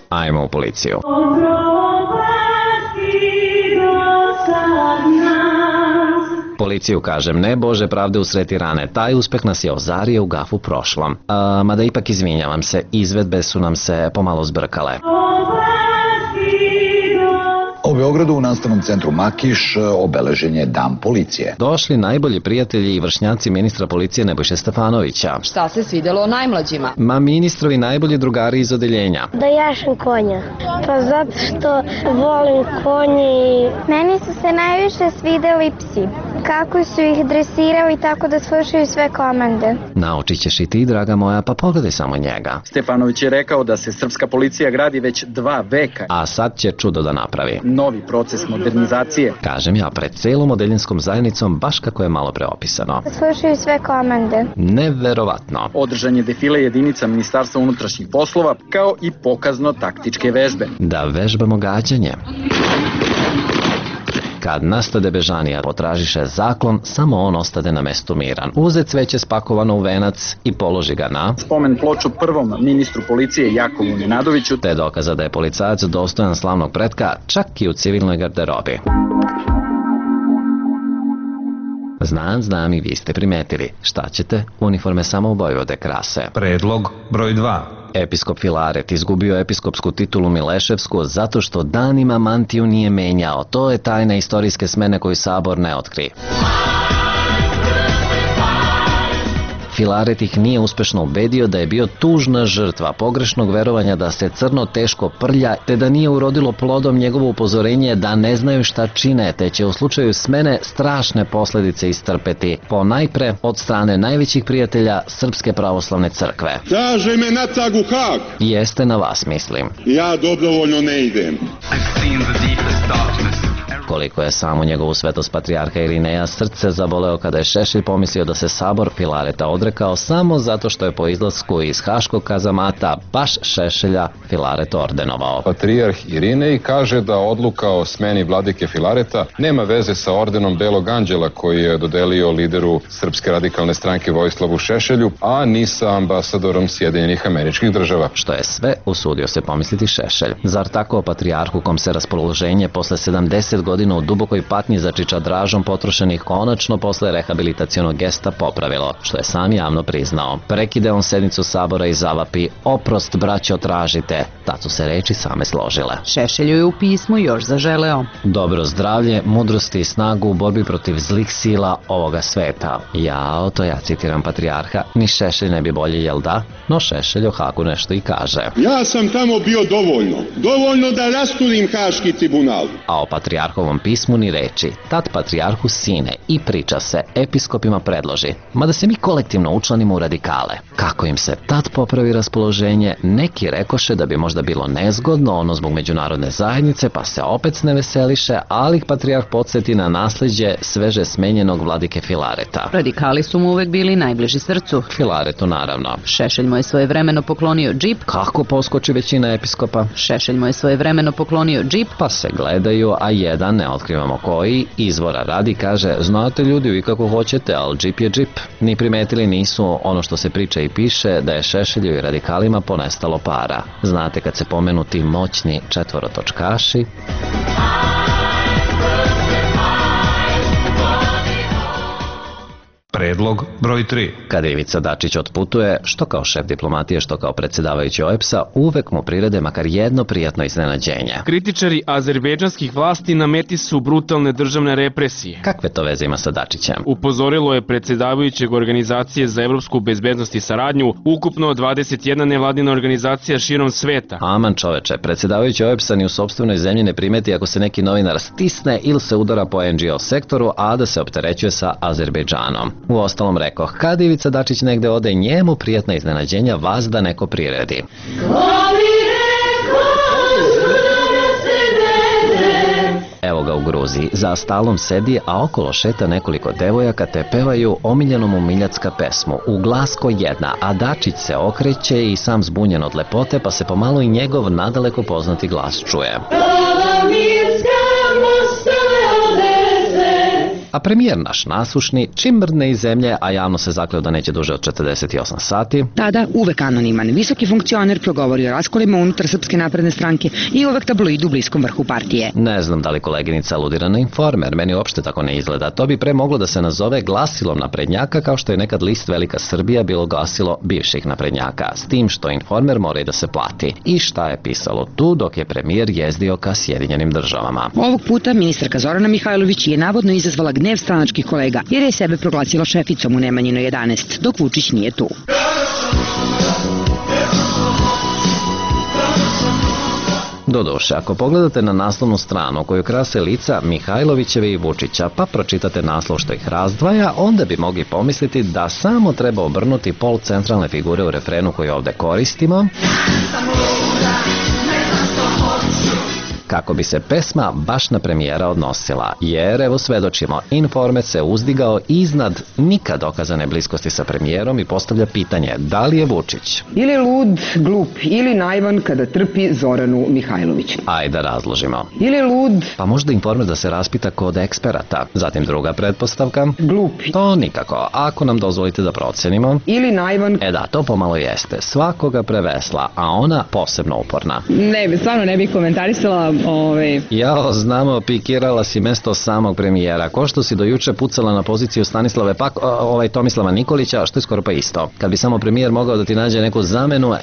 Ajmo u policiju. Policiju kažem, ne Bože pravde usreti rane, taj uspeh nas je ozario u GAF-u prošlom. Mada ipak izvinjavam se, izvedbe su nam se pomalo zbrkale. U Beogradu u nastavnom centru Makiš obeležen je Dan policije. Došli najbolji prijatelji i vršnjaci ministra policije Nebojše Stefanovića. Šta se svidjelo najmlađima? Ma ministrovi najbolji drugari iz odeljenja. Da jašem konja. Pa zato što volim konje i... Meni su se najviše svidjeli psi. Kako su ih dresirali tako da slušaju sve komande. Naučit ćeš i ti, draga moja, pa pogledaj samo njega. Stefanović je rekao da se srpska policija gradi već 2 veka. A sad će čudo da napravi. Novi proces modernizacije. Kažem ja, pred celom odeljinskom zajednicom, baš kako je malo preopisano. Slušaju sve komande. Neverovatno. Održan je defile jedinica Ministarstva unutrašnjih poslova, kao i pokazno taktičke vežbe. Da vežbamo gađanje. Kad nastade bežanija, potražiše zaklon, samo on ostade na mestu miran. Uze cveće spakovano u venac i položi ga na spomen ploču prvom ministru policije Jakovu Nenadoviću, te dokaza da je policajac dostojan slavnog pretka čak i u civilnoj garderobi. Znam i vi ste primetili. Šta ćete? Uniforme samo Vojvode krase. Predlog broj 2. Episkop Filaret izgubio episkopsku titulu Mileševsku zato što danima mantiju nije menjao. To je tajna istorijske smene koju Sabor ne otkri. Filaret ih nije uspešno ubedio da je bio tužna žrtva pogrešnog verovanja da se crno teško prlja, te da nije urodilo plodom njegovo upozorenje da ne znaju šta čine, te će u slučaju smene strašne posledice istrpeti, ponajpre od strane najvećih prijatelja Srpske pravoslavne crkve. Traže me natrag u Hag. Jeste na vas, mislim. Ja dobrovoljno ne idem. Koliko je samo njegovu svetost patrijarha Irineja srce zaboleo kada je Šešelj pomislio da se Sabor Filareta odrekao samo zato što je po izlasku iz haškog kazamata baš Šešelja Filaret ordenovao. Patrijarh Irinej kaže da odluka o smeni vladike Filareta nema veze sa ordenom Belog anđela koji je dodelio lideru Srpske radikalne stranke Vojislavu Šešelju, a ni sa ambasadorom Sjedinjenih Američkih Država. Što je sve usudio se pomisliti Šešelj. Zar tako patrijarhu kom se raspoloženje posle 70 godina u dubokoj patnji za čičadražom potrošenih konačno posle rehabilitacionog gesta popravilo, što je sam javno priznao. Prekide on sednicu Sabora i zavapi: oprost, braćo, tražite. Tad su se reči same složile. Šešelju je u pismu još zaželeo dobro zdravlje, mudrosti i snagu u borbi protiv zlih sila ovoga sveta. To ja citiram patrijarha, ni Šešelj ne bi bolje, jel da? No Šešelj o Hagu nešto i kaže. Ja sam tamo bio dovoljno da rasturim Haški tribunal. A o patrijarhovom pismu ni reči. Tad patrijarhu sine i priča se, episkopima predloži, mada se mi kolektivno učlanimo u radikale. Kako im se tad popravi raspoloženje, neki rekoše da bi možda bilo nezgodno, ono zbog međunarodne zajednice, pa se opet ne veseliše, ali ih patrijarh podsjeti na nasleđe sveže smenjenog vladike Filareta. Radikali su mu uvek bili najbliži srcu. Filaretu naravno. Šešelj mu je svojevremeno poklonio džip. Kako poskoči većina episkopa? Šešelj mu je svojevremeno poklonio džip. Pa se gledaju, a jedan, ne otkrivamo koji, izvora radi, kaže: znate ljudi, vi kako hoćete, ali džip je džip. Ni primetili nisu ono što se priča i piše, da je Šešelju i radikalima ponestalo para. Znate kad se pomenu ti moćni četvorotočkaši? Predlog broj 3. Kada Ivica Dačić otputuje, što kao šef diplomatije, što kao predsjedavajući OEBS-a, uvek mu prirede makar jedno prijatno iznenađenje. Kritičari azerbejdžanskih vlasti na meti su brutalne državne represije. Kakve to veze ima sa Dačićem? Upozorilo je predsjedavajućeg Organizacije za evropsku bezbednost i saradnju, ukupno 21 nevladina organizacija širom sveta. Aman čoveče, predsjedavajući OEBS-a ni u sopstvenoj zemlji ne primeti ako se neki novinar stisne ili se udara po NGO sektoru, a da se opterećuje sa Azerbejdžanom. U ostalom rekoh, kad Ivica Dačić negde ode, njemu prijatna iznenađenja vas da neko priredi. Evo ga u Gruziji, za stalom sedi, a okolo šeta nekoliko devojaka te pevaju omiljenu mu miljacka pesmu, u glas ko jedna, a Dačić se okreće i sam zbunjen od lepote, pa se pomalo i njegov nadaleko poznati glas čuje. A premijer naš nasušni, čim mrdne iz zemlje, a javno se zakleo da neće duže od 48 sati. Tada uvek anoniman, visoki funkcioner progovori o raskolima unutar Srpske napredne stranke i uvek tabloid u bliskom vrhu partije. Ne znam da li koleginica aludira na Informer, meni uopšte tako ne izgleda. To bi pre moglo da se nazove glasilom naprednjaka, kao što je nekad list Velika Srbija bilo glasilo bivših naprednjaka, s tim što Informer mora i da se plati. I šta je pisalo tu dok je premijer jezdio ka Sjedinjenim Državama? Ovog puta ministarka Zorana Mihajlović je navodno izazvala gnev stranačkih kolega, jer je sebe proglasila šeficom u Nemanjinoj 11, dok Vučić nije tu. Doduše, ako pogledate na naslovnu stranu koju krase lica Mihajlovićeve i Vučića, pa pročitate naslov što ih razdvaja, onda bi mogli pomisliti da samo treba obrnuti pol centralne figure u refrenu koji ovde koristimo. kako bi se pesma baš na premijera odnosila, jer evo svedočimo, Informer se uzdigao iznad nikad dokazane bliskosti sa premijerom i postavlja pitanje da li je Vučić ili lud, glup ili naivan kada trpi Zoranu Mihajlović. Ajde da razložimo. Ili lud, pa možda Informer da se raspita kod eksperata. Zatim druga pretpostavka, glup. To nikako, ako nam dozvolite da procenimo. Ili naivan. Da, to pomalo jeste. Svakoga prevesla, a ona posebno uporna. Ne, stvarno ne bih komentarisala. Jao, znamo, pikirala si mesto samog premijera. Ko što si do juče pucala na poziciju Tomislava Nikolića, što je skoro pa isto. Kad bi samo premijer mogao da ti nađe neku zamenu,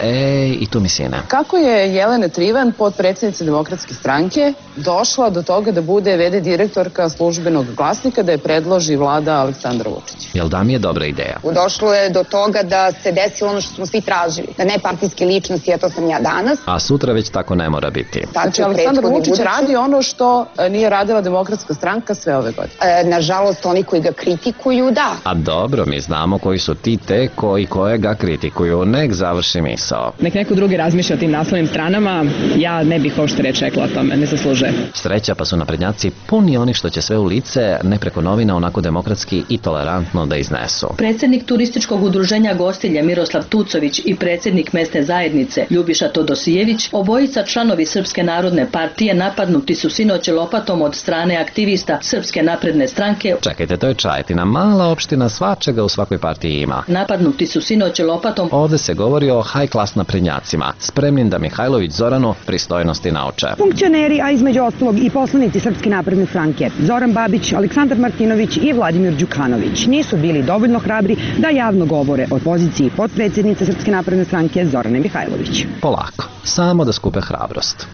i tu mi sine. Kako je Jelena Trivan, potpredsjednica Demokratske stranke, došla do toga da bude v.d. direktorka Službenog glasnika, da je predloži vlada Aleksandra Vučića? Jel da mi je dobra ideja? Došlo je do toga da se desilo ono što smo svi tražili. Da ne partijske ličnosti, a to sam ja danas. A sutra već tako ne mora biti. Znači, Aleksandar Vučić radi ono što nije radila Demokratska stranka sve ove godine. Nažalost, oni koji ga kritikuju, da. A dobro, mi znamo koji su ti te koji koje ga kritikuju. Nek završi misao. Nek neko drugi razmišlja o tim naslovnim stranama, ja ne bih ošte reč rekla o tome, ne zaslužuje. Sreća, pa su naprednjaci puni onih što će sve u lice, ne preko novina, onako demokratski i tolerantno da iznesu. Predsjednik turističkog udruženja Gostilje Miroslav Tucović i predsjednik mesne zajednice Ljubiša Todosijević, obojica članovi Srpske narodne partije, napadnuti su sinoć lopatom od strane aktivista Srpske napredne stranke. Čekajte, to je Čajetina, mala opština, svačega u svakoj partiji ima. Napadnuti su sinoć lopatom. Ovde se govori o high class naprednjacima, spremnim da Mihajlović Zoranu pristojnosti nauče. Funkcioneri, a između ostalog i poslanici Srpske napredne stranke, Zoran Babić, Aleksandar Martinović i Vladimir Đukanović, nisu bili dovoljno hrabri da javno govore o poziciji potpredsjednice Srpske napredne stranke Zorane Mihajlović. Polako, samo da skupe hrabrost.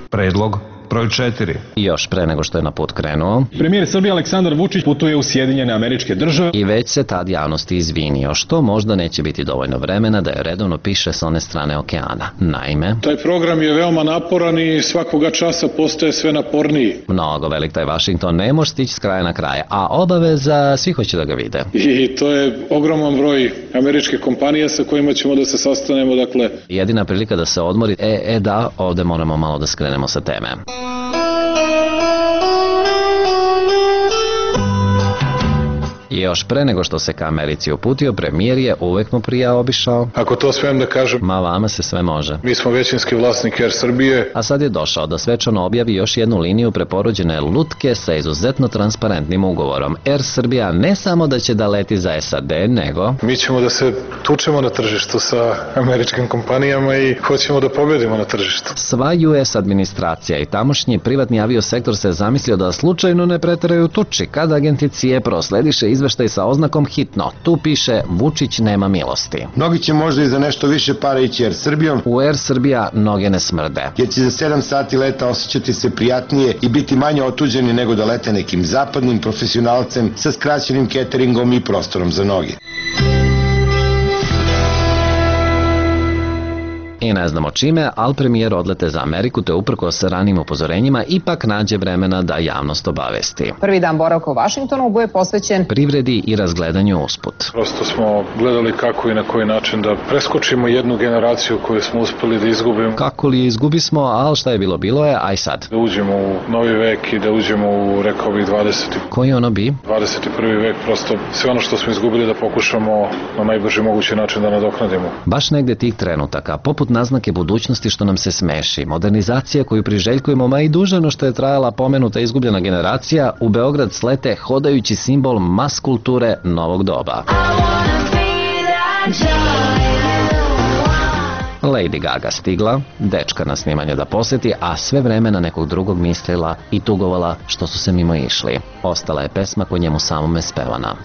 Predlog broj 4. I još pre nego što je na put krenuo, premijer Srbije Aleksandar Vučić putuje u Sjedinjene Američke Države i već se tad javnosti izvinio, što možda neće biti dovoljno vremena da je redovno piše s one strane okeana. Naime, taj program je veoma naporan i svakoga časa postaje sve naporniji. Mnogo velik taj Vašington, ne može stići s kraja na kraj, a obaveza svi hoće da ga vide. I to je ogroman broj američke kompanije sa kojima ćemo da se sastanemo, dakle. Jedina prilika da se odmori, da, ovde moramo malo da skrenemo sa teme. I još pre nego što se ka Americi uputio, premijer je uvek mu prija obišao. Ako to smijem da kažem, ma vama se sve može. Mi smo većinski vlasnik Air Srbije. A sad je došao da svečano objavi još jednu liniju preporođene lutke sa izuzetno transparentnim ugovorom. Air Srbija ne samo da će da leti za SAD, nego mi ćemo da se tučemo na tržištu sa američkim kompanijama i hoćemo da pobedimo na tržištu. Sva US administracija i tamošnji privatni aviosektor se zamislio da slučajno ne preteraju tuči kada agenti CIA proslediše izveštaj sa oznakom hitno. Tu piše Vučić nema milosti. Mnogi će možda i za nešto više para ići Air Srbijom. U Air Srbija noge ne smrde. Jer će za 7 sati leta osjećati se prijatnije i biti manje otuđeni nego da lete nekim zapadnim profesionalcem sa skraćenim cateringom i prostorom za noge. I ne znamo čime, ali premijer odlete za Ameriku te uprkos ranim upozorenjima ipak nađe vremena da javnost obavesti. Prvi dan boravka u Vašingtonu bude posvećen privredi i razgledanju usput. Prosto smo gledali kako i na koji način da preskočimo jednu generaciju koju smo uspeli da izgubimo. Kako li izgubi smo, ali šta je bilo je, aj sad. Da uđemo u novi vek i da uđemo u, rekao bih, 20. Koji ono bi? 21. vek, prosto sve ono što smo izgubili da pokušamo na najbrži mogući način da nadoknadimo. Baš negde tih trenutaka, poput naznake budućnosti što nam se smeši, modernizacija koju priželjkujemo, ma i duže no što je trajala pomenuta izgubljena generacija, u Beograd slete hodajući simbol mas kulture novog doba. Lady Gaga stigla, dečka na snimanje da poseti, a sve vreme na nekog drugog mislila i tugovala što su se mimo išli. Ostala je pesma ko njemu samome spevana.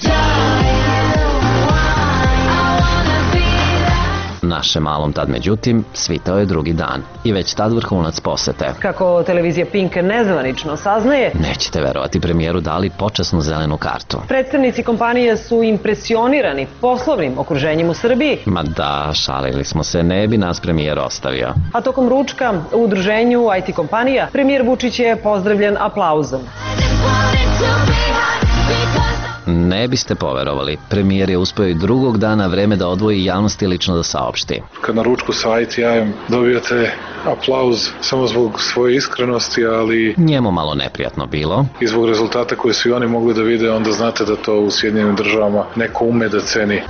Našem malom tad, međutim, svitao je drugi dan i već tad vrhunac posete. Kako televizija Pink nezvanično saznaje, nećete verovati, premijeru dali počasnu zelenu kartu. Predstavnici kompanije su impresionirani poslovnim okruženjem u Srbiji. Ma da, šalili smo se, ne bi nas premijer ostavio. A tokom ručka u udruženju IT kompanija premijer Vučić je pozdravljen aplauzom. Ne biste poverovali, premijer je uspio i drugog dana vreme da odvoji javnosti lično da saopšti. Kad na ručku sa ITI-em dobijate aplauz samo zbog svoje iskrenosti, ali njemu malo neprijatno bilo. I zbog rezultata koje su i oni mogli da vide, onda znate da to u Sjedinjenim državama neko ume da ceni.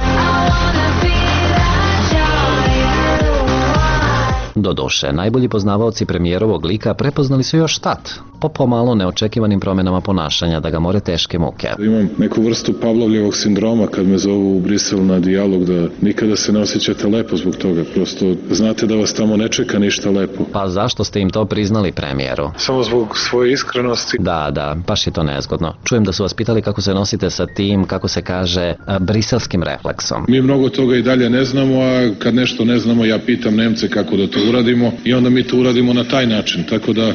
Doduše, najbolji poznavaoci premijerovog lika prepoznali su još tat, po pomalo neočekivanim promjenama ponašanja da ga more teške muke. Imam neku vrstu Pavlovljevog sindroma kad me zovu u Brisel na dijalog, da nikada se ne osjećate lepo zbog toga, prosto znate da vas tamo ne čeka ništa lepo. Pa zašto ste im to priznali, premijeru? Samo zbog svoje iskrenosti. Da, baš je to nezgodno. Čujem da su vas pitali kako se nosite sa tim, kako se kaže, briselskim refleksom. Mi mnogo toga i dalje ne znamo, a kad nešto ne znamo, ja pitam Nemce kako da to uradimo i onda mi to uradimo na taj način, tako da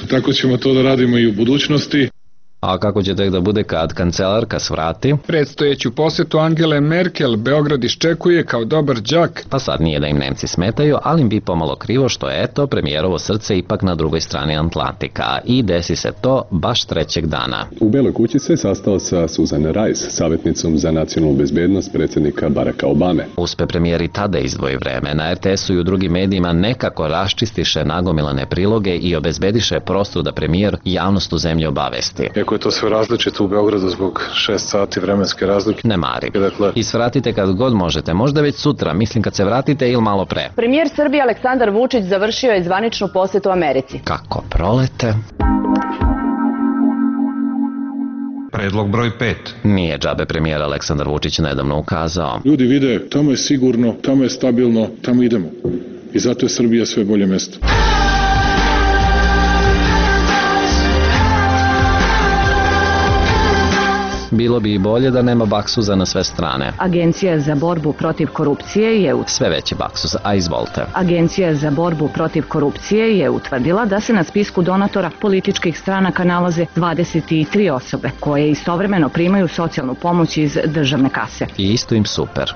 tako ćemo to da radimo i u budućnosti. A kako će tek da bude kad kancelarka svrati? Predstojeću posjetu Angele Merkel Beograd iščekuje kao dobar đak. Pa sad nije da im Nemci smetaju, ali im bi pomalo krivo što je premijerovo srce ipak na drugoj strani Atlantika i desi se to baš trećeg dana. U Beloj kući se sastao sa Susan Rice, savjetnicom za nacionalnu bezbednost predsjednika Baracka Obame. Uspe premijer i tada izdvoji vreme. Na RTS-u i u drugim medijima nekako raščistiše nagomilane priloge i obezbediše prostor da premijer javnost u zemlji obavesti. Iako je to sve različito u Beogradu zbog 6 sati vremenske razlike. Ne mari. I svratite kad god možete, možda već sutra, mislim kad se vratite ili malo pre. Premijer Srbije Aleksandar Vučić završio je zvaničnu posjetu Americi. Kako prolete? Predlog broj 5. Nije džabe premijer Aleksandar Vučić nedavno ukazao. Ljudi vide, tamo je sigurno, tamo je stabilno, tamo idemo. I zato je Srbija sve bolje mesto. Bilo bi i bolje da nema baksuza na sve strane. Agencija za borbu protiv korupcije je sve veći baksuz, a izvolite. Agencija za borbu protiv korupcije je utvrdila da se na spisku donatora političkih stranaka nalaze 23 osobe koje istovremeno primaju socijalnu pomoć iz državne kase. I isto im super.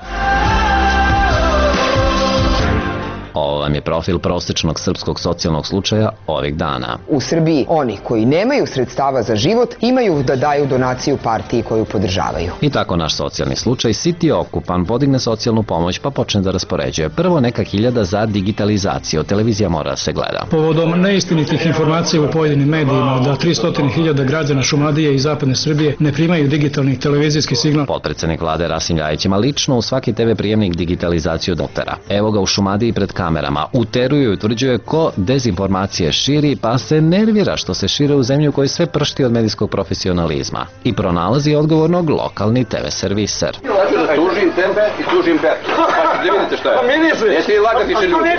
Ovo vam je profil prosječnog srpskog socijalnog slučaja ovih dana. U Srbiji oni koji nemaju sredstava za život imaju da daju donaciju partiji koju podržavaju. I tako naš socijalni slučaj siti okupan podigne socijalnu pomoć pa počne da raspoređuje. Prvo neka 1000 za digitalizaciju. Televizija mora da se gleda. Povodom neistinitih informacija u pojedinim medijima da 300.000 građana Šumadije i zapadne Srbije ne primaju digitalni televizijski signal. Potpredsednik vlade Rasim Ljajić ima lično u svaki TV prijemnik digitalizaciju dotera. Evo ga u Šumadiji pred kamerama. Uteruje i utvrđuje ko dezinformacije širi, pa se nervira što se šire u zemlju koji sve pršti od medijskog profesionalizma. I pronalazi odgovornog lokalni TV serviser. Tužim tebe i tužim Bertu. Pa ne vidite šta je. Neće li lagati še ljudi?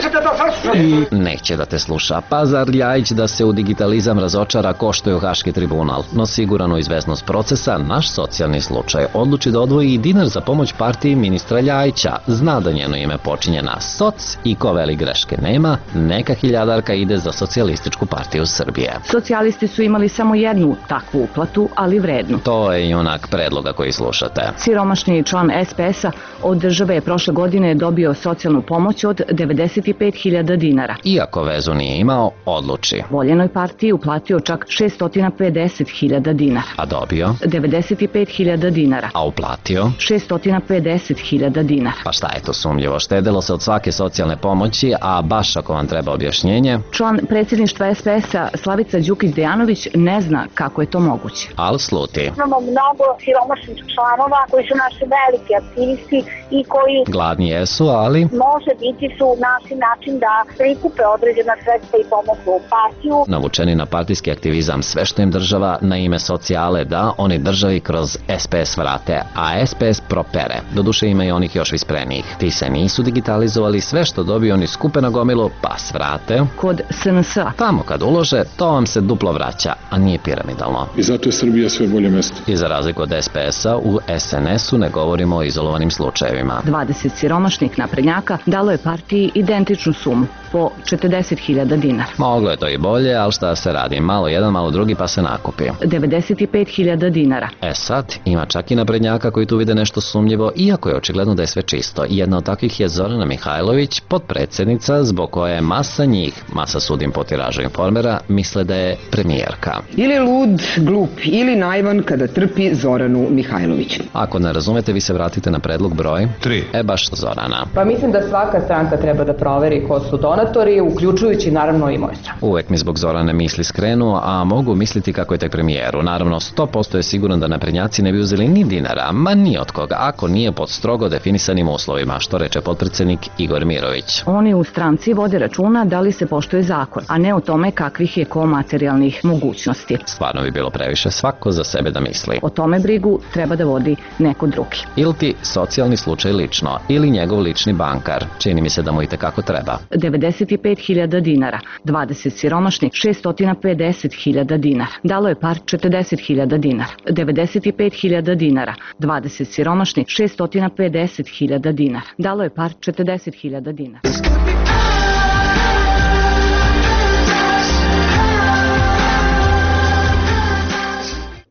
I neće da te sluša. Pa zar Ljajić da se u digitalizam razočara koštuje Haški tribunal. No sigurano izvesnost procesa, naš socijalni slučaj odluči da odvoji i dinar za pomoć partiji ministra Ljajića. Zna da njeno ime počinje na soc i ko veli greške nema, neka 1000 ide za Socijalističku partiju Srbije. Socijalisti su imali samo jednu takvu uplatu, ali vrednu. To je i onak predloga koji slušate. Siromašni član SPS-a od države je prošle godine dobio socijalnu pomoć od 95.000 dinara. Iako vezu nije imao, odluči. Voljenoj partiji uplatio čak 650.000 dinara. A dobio? 95.000 dinara. A uplatio? 650.000 dinara. Pa šta je to sumnjivo? Štedelo se od svake socijalne pomoći, a baš ako vam treba objašnjenje. Član predsjedništva SPS-a Slavica Đukić-Dejanović ne zna kako je to moguće. Al sluti. Imamo mnogo siromašnih članova koji su naši veliki aktivisti i koji gladni jesu, ali može biti su naši način da prikupe određena sredstva i pomognu partiju. Navučeni na partijski aktivizam, sve što im država na ime socijale da, oni državi kroz SPS vrate, a SPS propere. Doduše ima i onih još visprenijih. Ti se nisu digitalizovali, sve što dobiju oni skupe na gomilu, pa svrate. Kod SNS-a. Tamo kad ulože, to vam se duplo vraća, a nije piramidalno. I zato je Srbija sve bolje mesto. I za razliku od SPS-a, u SNS-u ne govorimo o izolovanim slučajevima. 20 siromašnih naprednjaka dalo je partiji identičnu sumu, po 40.000 dinara. Moglo je to i bolje, ali šta se radi? Malo jedan, malo drugi pa se nakupi. 95.000 dinara. Sad, ima čak i naprednjaka koji tu vide nešto sumnjivo, iako je očigledno da je sve čisto. Jedna od takvih je Zorana Mihajlović, potpredsjednica, zbog koje masa njih, masa sudim po tiražu Informera, misle da je premijerka. Ili lud, glup, ili naivan kada trpi Zoranu Mihajlović. Ako ne razumete, vi se vratite na predlog broj 3. Baš Zorana. Pa mislim da svaka stranka treba da proveri ko su donatori, uključujući naravno i moju stranu. Uvek mi zbog Zorane misli skrenu, a mogu misliti kako je tek premijeru. Naravno, 100% je siguran da naprednjaci ne bi uzeli ni dinara, ma ni od koga, ako nije pod strogo definisanim uslovima, što reče potpredsjednik Igor Mirović. Oni u stranci vode računa da li se poštuje zakon, a ne o tome kakvih je ko materijalnih mogućnosti. Stvarno bi bilo previše svako za sebe da misli. O tome brigu treba da vodi neko drugi. Ili ti socijalni slučaj lično, ili njegov lični bankar. Čini mi se da mu i tekako treba. 95.000 dinara, 20 siromašnih 650.000 dinara. Dalo je par 40.000 dinara. 95.000 dinara, 20 siromašnih 650.000 dinara. Dalo je par 40.000 dinara.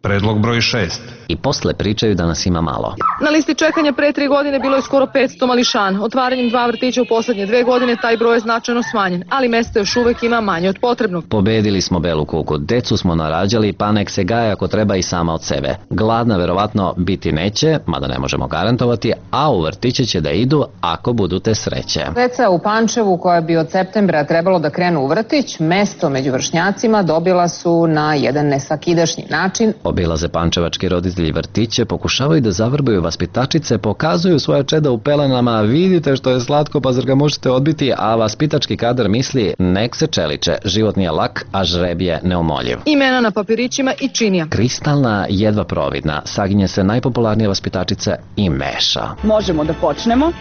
Predlog broj 6. I posle pričaju da nas ima malo. Na listi čekanja pre 3 godine bilo je skoro 500 mališana. Otvaranjem 2 vrtića u poslednje 2 godine taj broj je značajno smanjen, ali mesta još uvek ima manje od potrebnog. Pobedili smo belu kugu, decu smo narađali, pa nek se gaje ako treba i sama od sebe. Gladna verovatno biti neće, mada ne možemo garantovati, a u vrtiće će da idu ako budu te sreće. Deca u Pančevu koja bi od septembra trebalo da krenu u vrtić, mesto među vršnjacima dobila su na jedan nesvakidašnji način. Obilaze pančevački roditelji vrtiće, pokušavaju da zavrbaju vaspitačice, pokazuju svoja čeda u pelenama, vidite što je slatko pa zar ga možete odbiti, a vaspitački kadar misli nek se čeliče, život nije lak, a žreb je neumoljiv. Imena na papirićima i činija. Kristalna, jedva providna, saginje se najpopularnije vaspitačice i meša. Možemo da počnemo.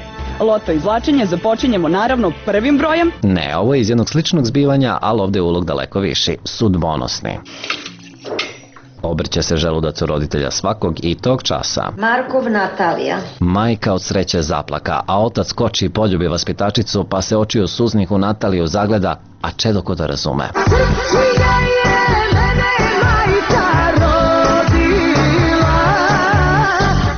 Loto izvlačenje započinjemo naravno prvim brojem. Ne, ovo je iz jednog sličnog zbivanja, ali ovde je ulog daleko viši, sudbonosni. Obrće se želudac u roditelja svakog i tog časa. Markov Natalija. Majka od sreće zaplaka, a otac skoči i poljubi vaspitačicu, pa se očiju suznih u Nataliju zagleda, a čedo ko da razume.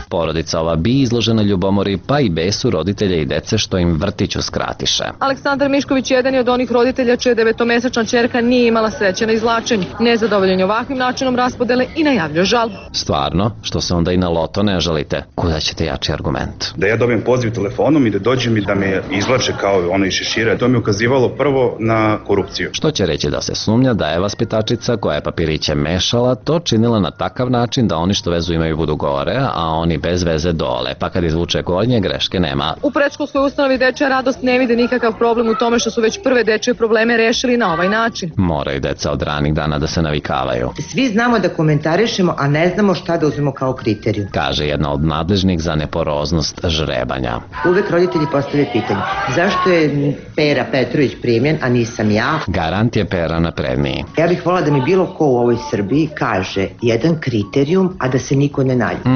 Porodica ova bi izložena ljubomori, pa i besu roditelja i dece što im vrtić uskratiše. Aleksandar Mišković jedan je od onih roditelja čija 9-mesečna ćerka nije imala sreće na izvlačenju. Nezadovoljan je ovakvim načinom raspodele i najavljuje žalbu. Stvarno, što se onda i na loto ne žalite? Kuda ćete jači argument? Da ja dobijem poziv telefonom i da dođem i da me izvlače kao ono iz šešira, to mi ukazivalo prvo na korupciju. Što će reći da se sumnja da je vaspitačica koja je papiriće mešala to činila na takav način da oni što vezu imaju budu gore, a oni bez veze dole, pa kad izvuče gornje, greške nema. U predškolskoj ustanovi dečja radost ne vide nikakav problem u tome što su već prve dečje probleme rešili na ovaj način. Moraju deca od ranih dana da se navikavaju. Svi znamo da komentarišemo, a ne znamo šta da uzmemo kao kriteriju. Kaže jedna od nadležnih za neporoznost žrebanja. Uvek roditelji postave pitanje, zašto je Pera Petrović primljen, a nisam ja? Garant je Pera napredniji. Ja bih volila da mi bilo ko u ovoj Srbiji kaže jedan kriterijum, a da se niko ne naljuti.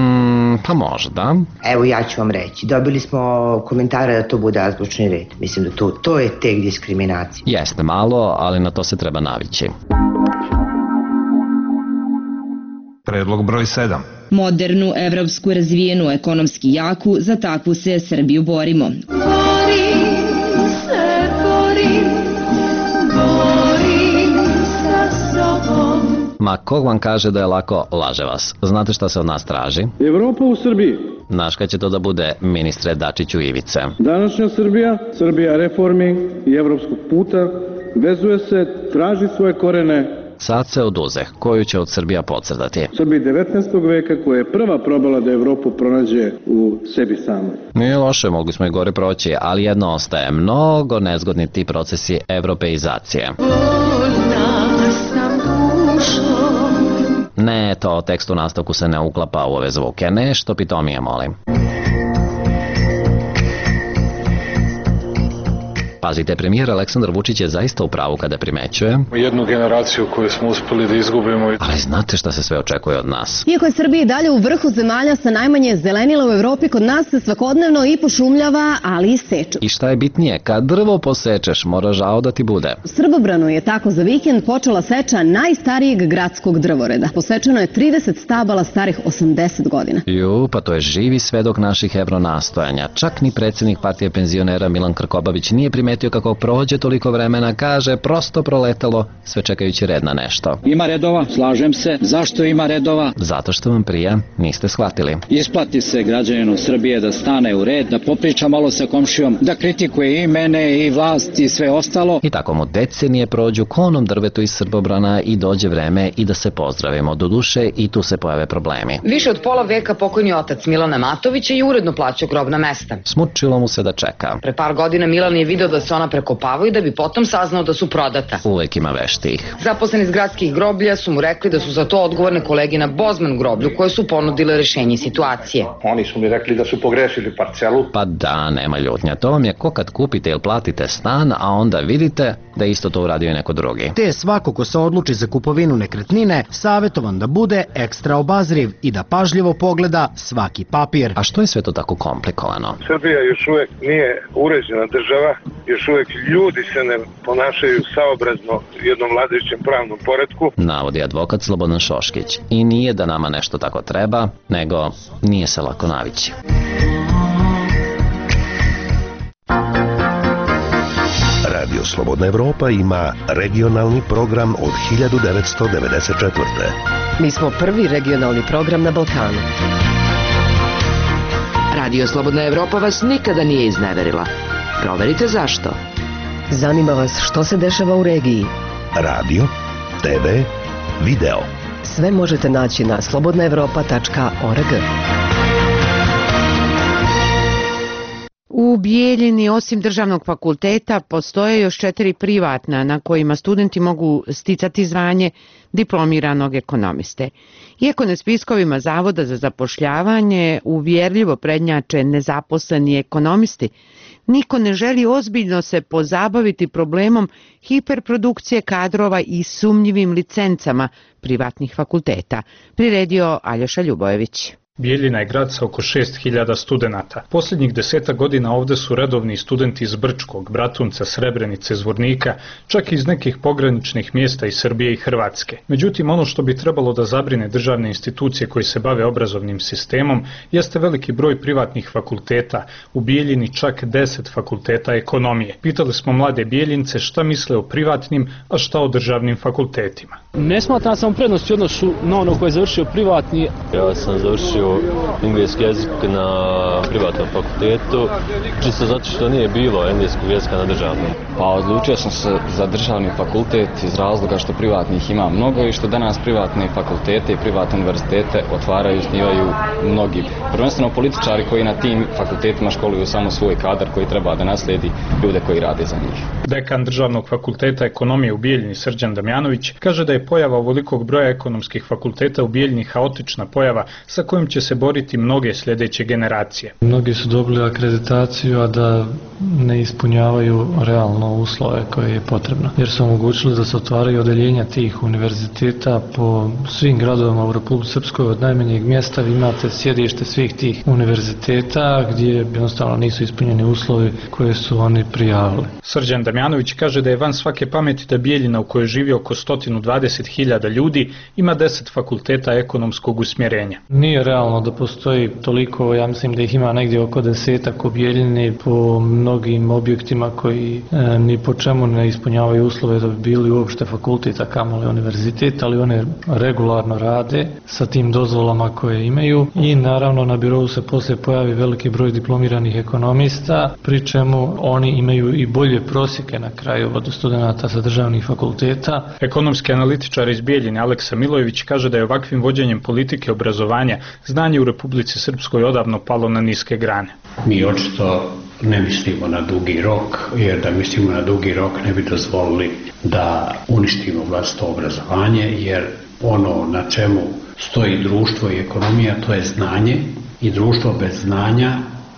Pa možda. Evo ja ću vam reći, dobili smo komentare da to bude azbučni red. Mislim da to je tek diskriminacija. Jeste malo, ali na to se treba navići. Predlog broj 7. Modernu, evropsku, razvijenu, ekonomski jaku, za takvu se Srbiju borimo. Ma kog vam kaže da je lako, laže vas. Znate šta se od nas traži? Evropa u Srbiji. Znaš kad će to da bude, ministre Dačiću Ivice? Današnja Srbija, Srbija reformi i evropskog puta, vezuje se, traži svoje korene. Sad se oduzeh, koju će od Srbija podcrtati? Srbiji 19. veka koja je prva probala da Evropu pronađe u sebi samoj. Nije loše, mogli smo i gore proći, ali jedno ostaje, mnogo nezgodni ti procesi evropeizacije. Ne, to tekst u nastavku se ne uklapa u ove zvuke, nešto pitomije molim. Pazite, premijer Aleksandar Vučić je zaista u pravu kada primećuje jednu generaciju koju smo uspeli da izgubimo. Ali znate šta se sve očekuje od nas? Iako je Srbija i dalje u vrhu zemalja sa najmanje zelenila u Evropi, kod nas se svakodnevno i pošumljava, ali i seče. I šta je bitnije, kad drvo posečeš, mora žao da ti bude. U Srbobranu je tako za vikend počela seča najstarijeg gradskog drvoreda. Posečeno je 30 stabala starih 80 godina. Pa to je živi svedok naših evronastojanja. Čak ni predsjednik partije penzionera Milan Krkobabić nije primetio kako prođe toliko vremena, kaže, prosto proletalo, sve čekajući red na nešto. Ima redova, slažem se. Zašto ima redova? Zato što vam prija, niste shvatili. Isplati se građaninu Srbije da stane u red, da popriča malo sa komšijom, da kritikuje i mene i vlast i sve ostalo. I tako mu decenije prođu konom drvetu iz Srbobrana i dođe vreme i da se pozdravimo. Doduše i tu se pojave problemi. Više od pola veka pokojni otac Milana Matovića je uredno plaćao grobna mesta. Smučilo mu se da čeka. Pre par godina Milan je video da se ona prekopavaju da bi potom saznao da su prodata. Uvek ima veštih. Zaposleni iz gradskih groblja su mu rekli da su za to odgovorne kolege na Bozman groblju koje su ponudile rešenje situacije. Oni su mi rekli da su pogrešili parcelu. Pa da, nema ljutnja. To vam je ko kad kupite ili platite stan, a onda vidite da isto to uradio i neko drugi. Te svako ko se odluči za kupovinu nekretnine, savjetovan da bude ekstra obazriv i da pažljivo pogleda svaki papir. A što je sve to tako komplikovano? Srbija još uvek nije uređena država, još uvek ljudi se ne ponašaju saobrazno jednom vladajućem pravnom poretku. Navodi advokat Slobodan Šoškić. I nije da nama nešto tako treba, nego nije se lako navići. Radio Slobodna Evropa ima regionalni program od 1994. Mi smo prvi regionalni program na Balkanu. Radio Slobodna Evropa vas nikada nije izneverila. Proverite zašto. Zanima vas što se dešava u regiji. Radio, TV, video. Sve možete naći na slobodnaevropa.org. U Bijeljini, osim državnog fakulteta, postoje još 4 privatna na kojima studenti mogu sticati zvanje diplomiranog ekonomiste. Iako na spiskovima Zavoda za zapošljavanje uvjerljivo prednjače nezaposleni ekonomisti, niko ne želi ozbiljno se pozabaviti problemom hiperprodukcije kadrova i sumnjivim licencama privatnih fakulteta, priredio Aljoša Ljubojević. Bijeljina je grad sa oko 6000 studenata. Posljednjih 10 godina ovde su redovni studenti iz Brčkog, Bratunca, Srebrenice, Zvornika, čak i iz nekih pograničnih mjesta iz Srbije i Hrvatske. Međutim, ono što bi trebalo da zabrine državne institucije koji se bave obrazovnim sistemom jeste veliki broj privatnih fakulteta. U Bijeljini čak 10 fakulteta ekonomije. Pitali smo mlade Bijeljince šta misle o privatnim, a šta o državnim fakultetima. Ne smatram sam prednosti u odnosu na ono koje je završio privatni. Ja sam završio engleski jezik na privatnom fakultetu, čisto zato što nije bilo engleskog jezika na državnom. Pa odlučio sam se za državni fakultet iz razloga što privatnih ima mnogo i što danas privatne fakultete i privatne univerzitete otvaraju i osnivaju mnogi. Prvenstveno političari koji na tim fakultetima školuju samo svoj kadar koji treba da nasledi ljude koji rade za njih. Dekan državnog fakulteta ekonomije u Bijeljini Srđan Damjanović kaže da je pojava ovolikog broja ekonomskih fakulteta u Bijeljini haotična pojava sa kojom će se boriti mnoge sljedeće generacije. Mnogi su dobili akreditaciju, a da ne ispunjavaju realno uslove koje je potrebno. Jer su omogućili da se otvaraju odeljenja tih univerziteta po svim gradovima u Republici Srpskoj. Od najmanjeg mjesta vi imate sjedište svih tih univerziteta gdje jednostavno nisu ispunjeni uslovi koje su oni prijavili. Srđan Damjanović kaže da je van svake pameti da Bijeljina u kojoj živi oko 120.000 ljudi ima 10 fakulteta ekonomskog usmjerenja. Nije realno da postoji toliko, ja mislim da ih ima negdje oko 10 u Bijeljini po mnogim objektima koji ni po čemu ne ispunjavaju uslove da bi bili uopšte fakultet, a kamoli univerzitet, ali one regularno rade sa tim dozvolama koje imaju i naravno na birou se poslije pojavi veliki broj diplomiranih ekonomista, pri čemu oni imaju i bolje prosjeke na kraju od studenata sa državnih fakulteta. Ekonomski analitičar iz Bijeljine Aleksa Milojević kaže da je ovakvim vođenjem politike obrazovanja znanje u Republici Srpskoj odavno palo na niske grane. Mi očito ne mislimo na dugi rok, jer da mislimo na dugi rok ne bi dozvolili da uništimo vlastito obrazovanje, jer ono na čemu stoji društvo i ekonomija, to je znanje, i društvo bez znanja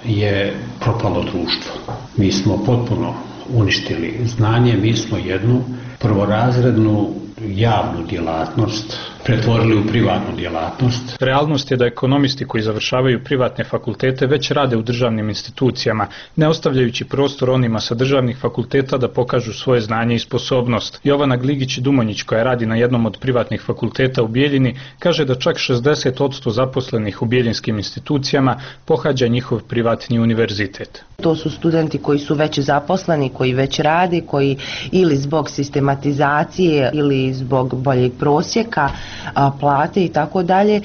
je propalo društvo. Mi smo potpuno uništili znanje, mi smo jednu prvorazrednu javnu djelatnost pretvorili u privatnu djelatnost. Realnost je da ekonomisti koji završavaju privatne fakultete već rade u državnim institucijama, ne ostavljajući prostor onima sa državnih fakulteta da pokažu svoje znanje i sposobnost. Jovana Gligić-Dumonjić, koja radi na jednom od privatnih fakulteta u Bijeljini, kaže da čak 60% zaposlenih u bijeljinskim institucijama pohađa njihov privatni univerzitet. To su studenti koji su već zaposleni, koji već rade, koji ili zbog sistematizacije ili zbog boljeg prosjeka, plate i tako dalje,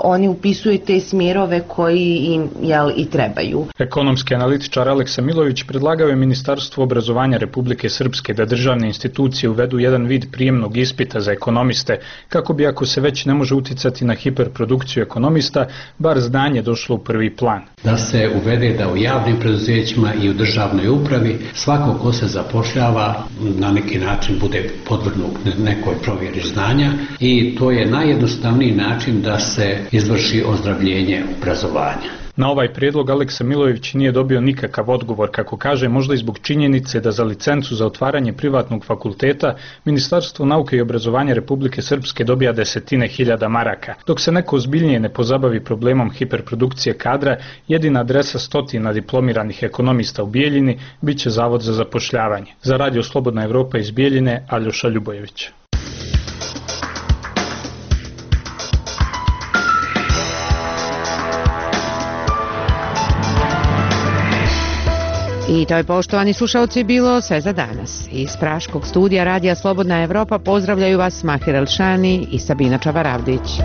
oni upisuju te smjerove koji im i trebaju. Ekonomski analitičar Aleksa Milović predlagao je Ministarstvu obrazovanja Republike Srpske da državne institucije uvedu jedan vid prijemnog ispita za ekonomiste, kako bi, ako se već ne može uticati na hiperprodukciju ekonomista, bar znanje došlo u prvi plan. Da se uvede da u javnim preduzećima i u državnoj upravi svako ko se zapošljava na neki način bude podvrgnut nekoj provjeri znanja i to je najjednostavniji način da se izvrši ozdravljenje obrazovanja. Na ovaj prijedlog Aleksa Milović nije dobio nikakav odgovor, kako kaže, možda i zbog činjenice da za licencu za otvaranje privatnog fakulteta Ministarstvo nauke i obrazovanja Republike Srpske dobija desetine hiljada maraka. Dok se neko ozbiljnije ne pozabavi problemom hiperprodukcije kadra, jedina adresa stotina diplomiranih ekonomista u Bijeljini biće Zavod za zapošljavanje. Za Radio Slobodna Evropa iz Bijeljine, Aljoša Ljubojević. I to je, poštovani slušalci, bilo sve za danas. Iz Praškog studija Radija Slobodna Evropa pozdravljaju vas Mahir Elšani i Sabina Čavaravdić.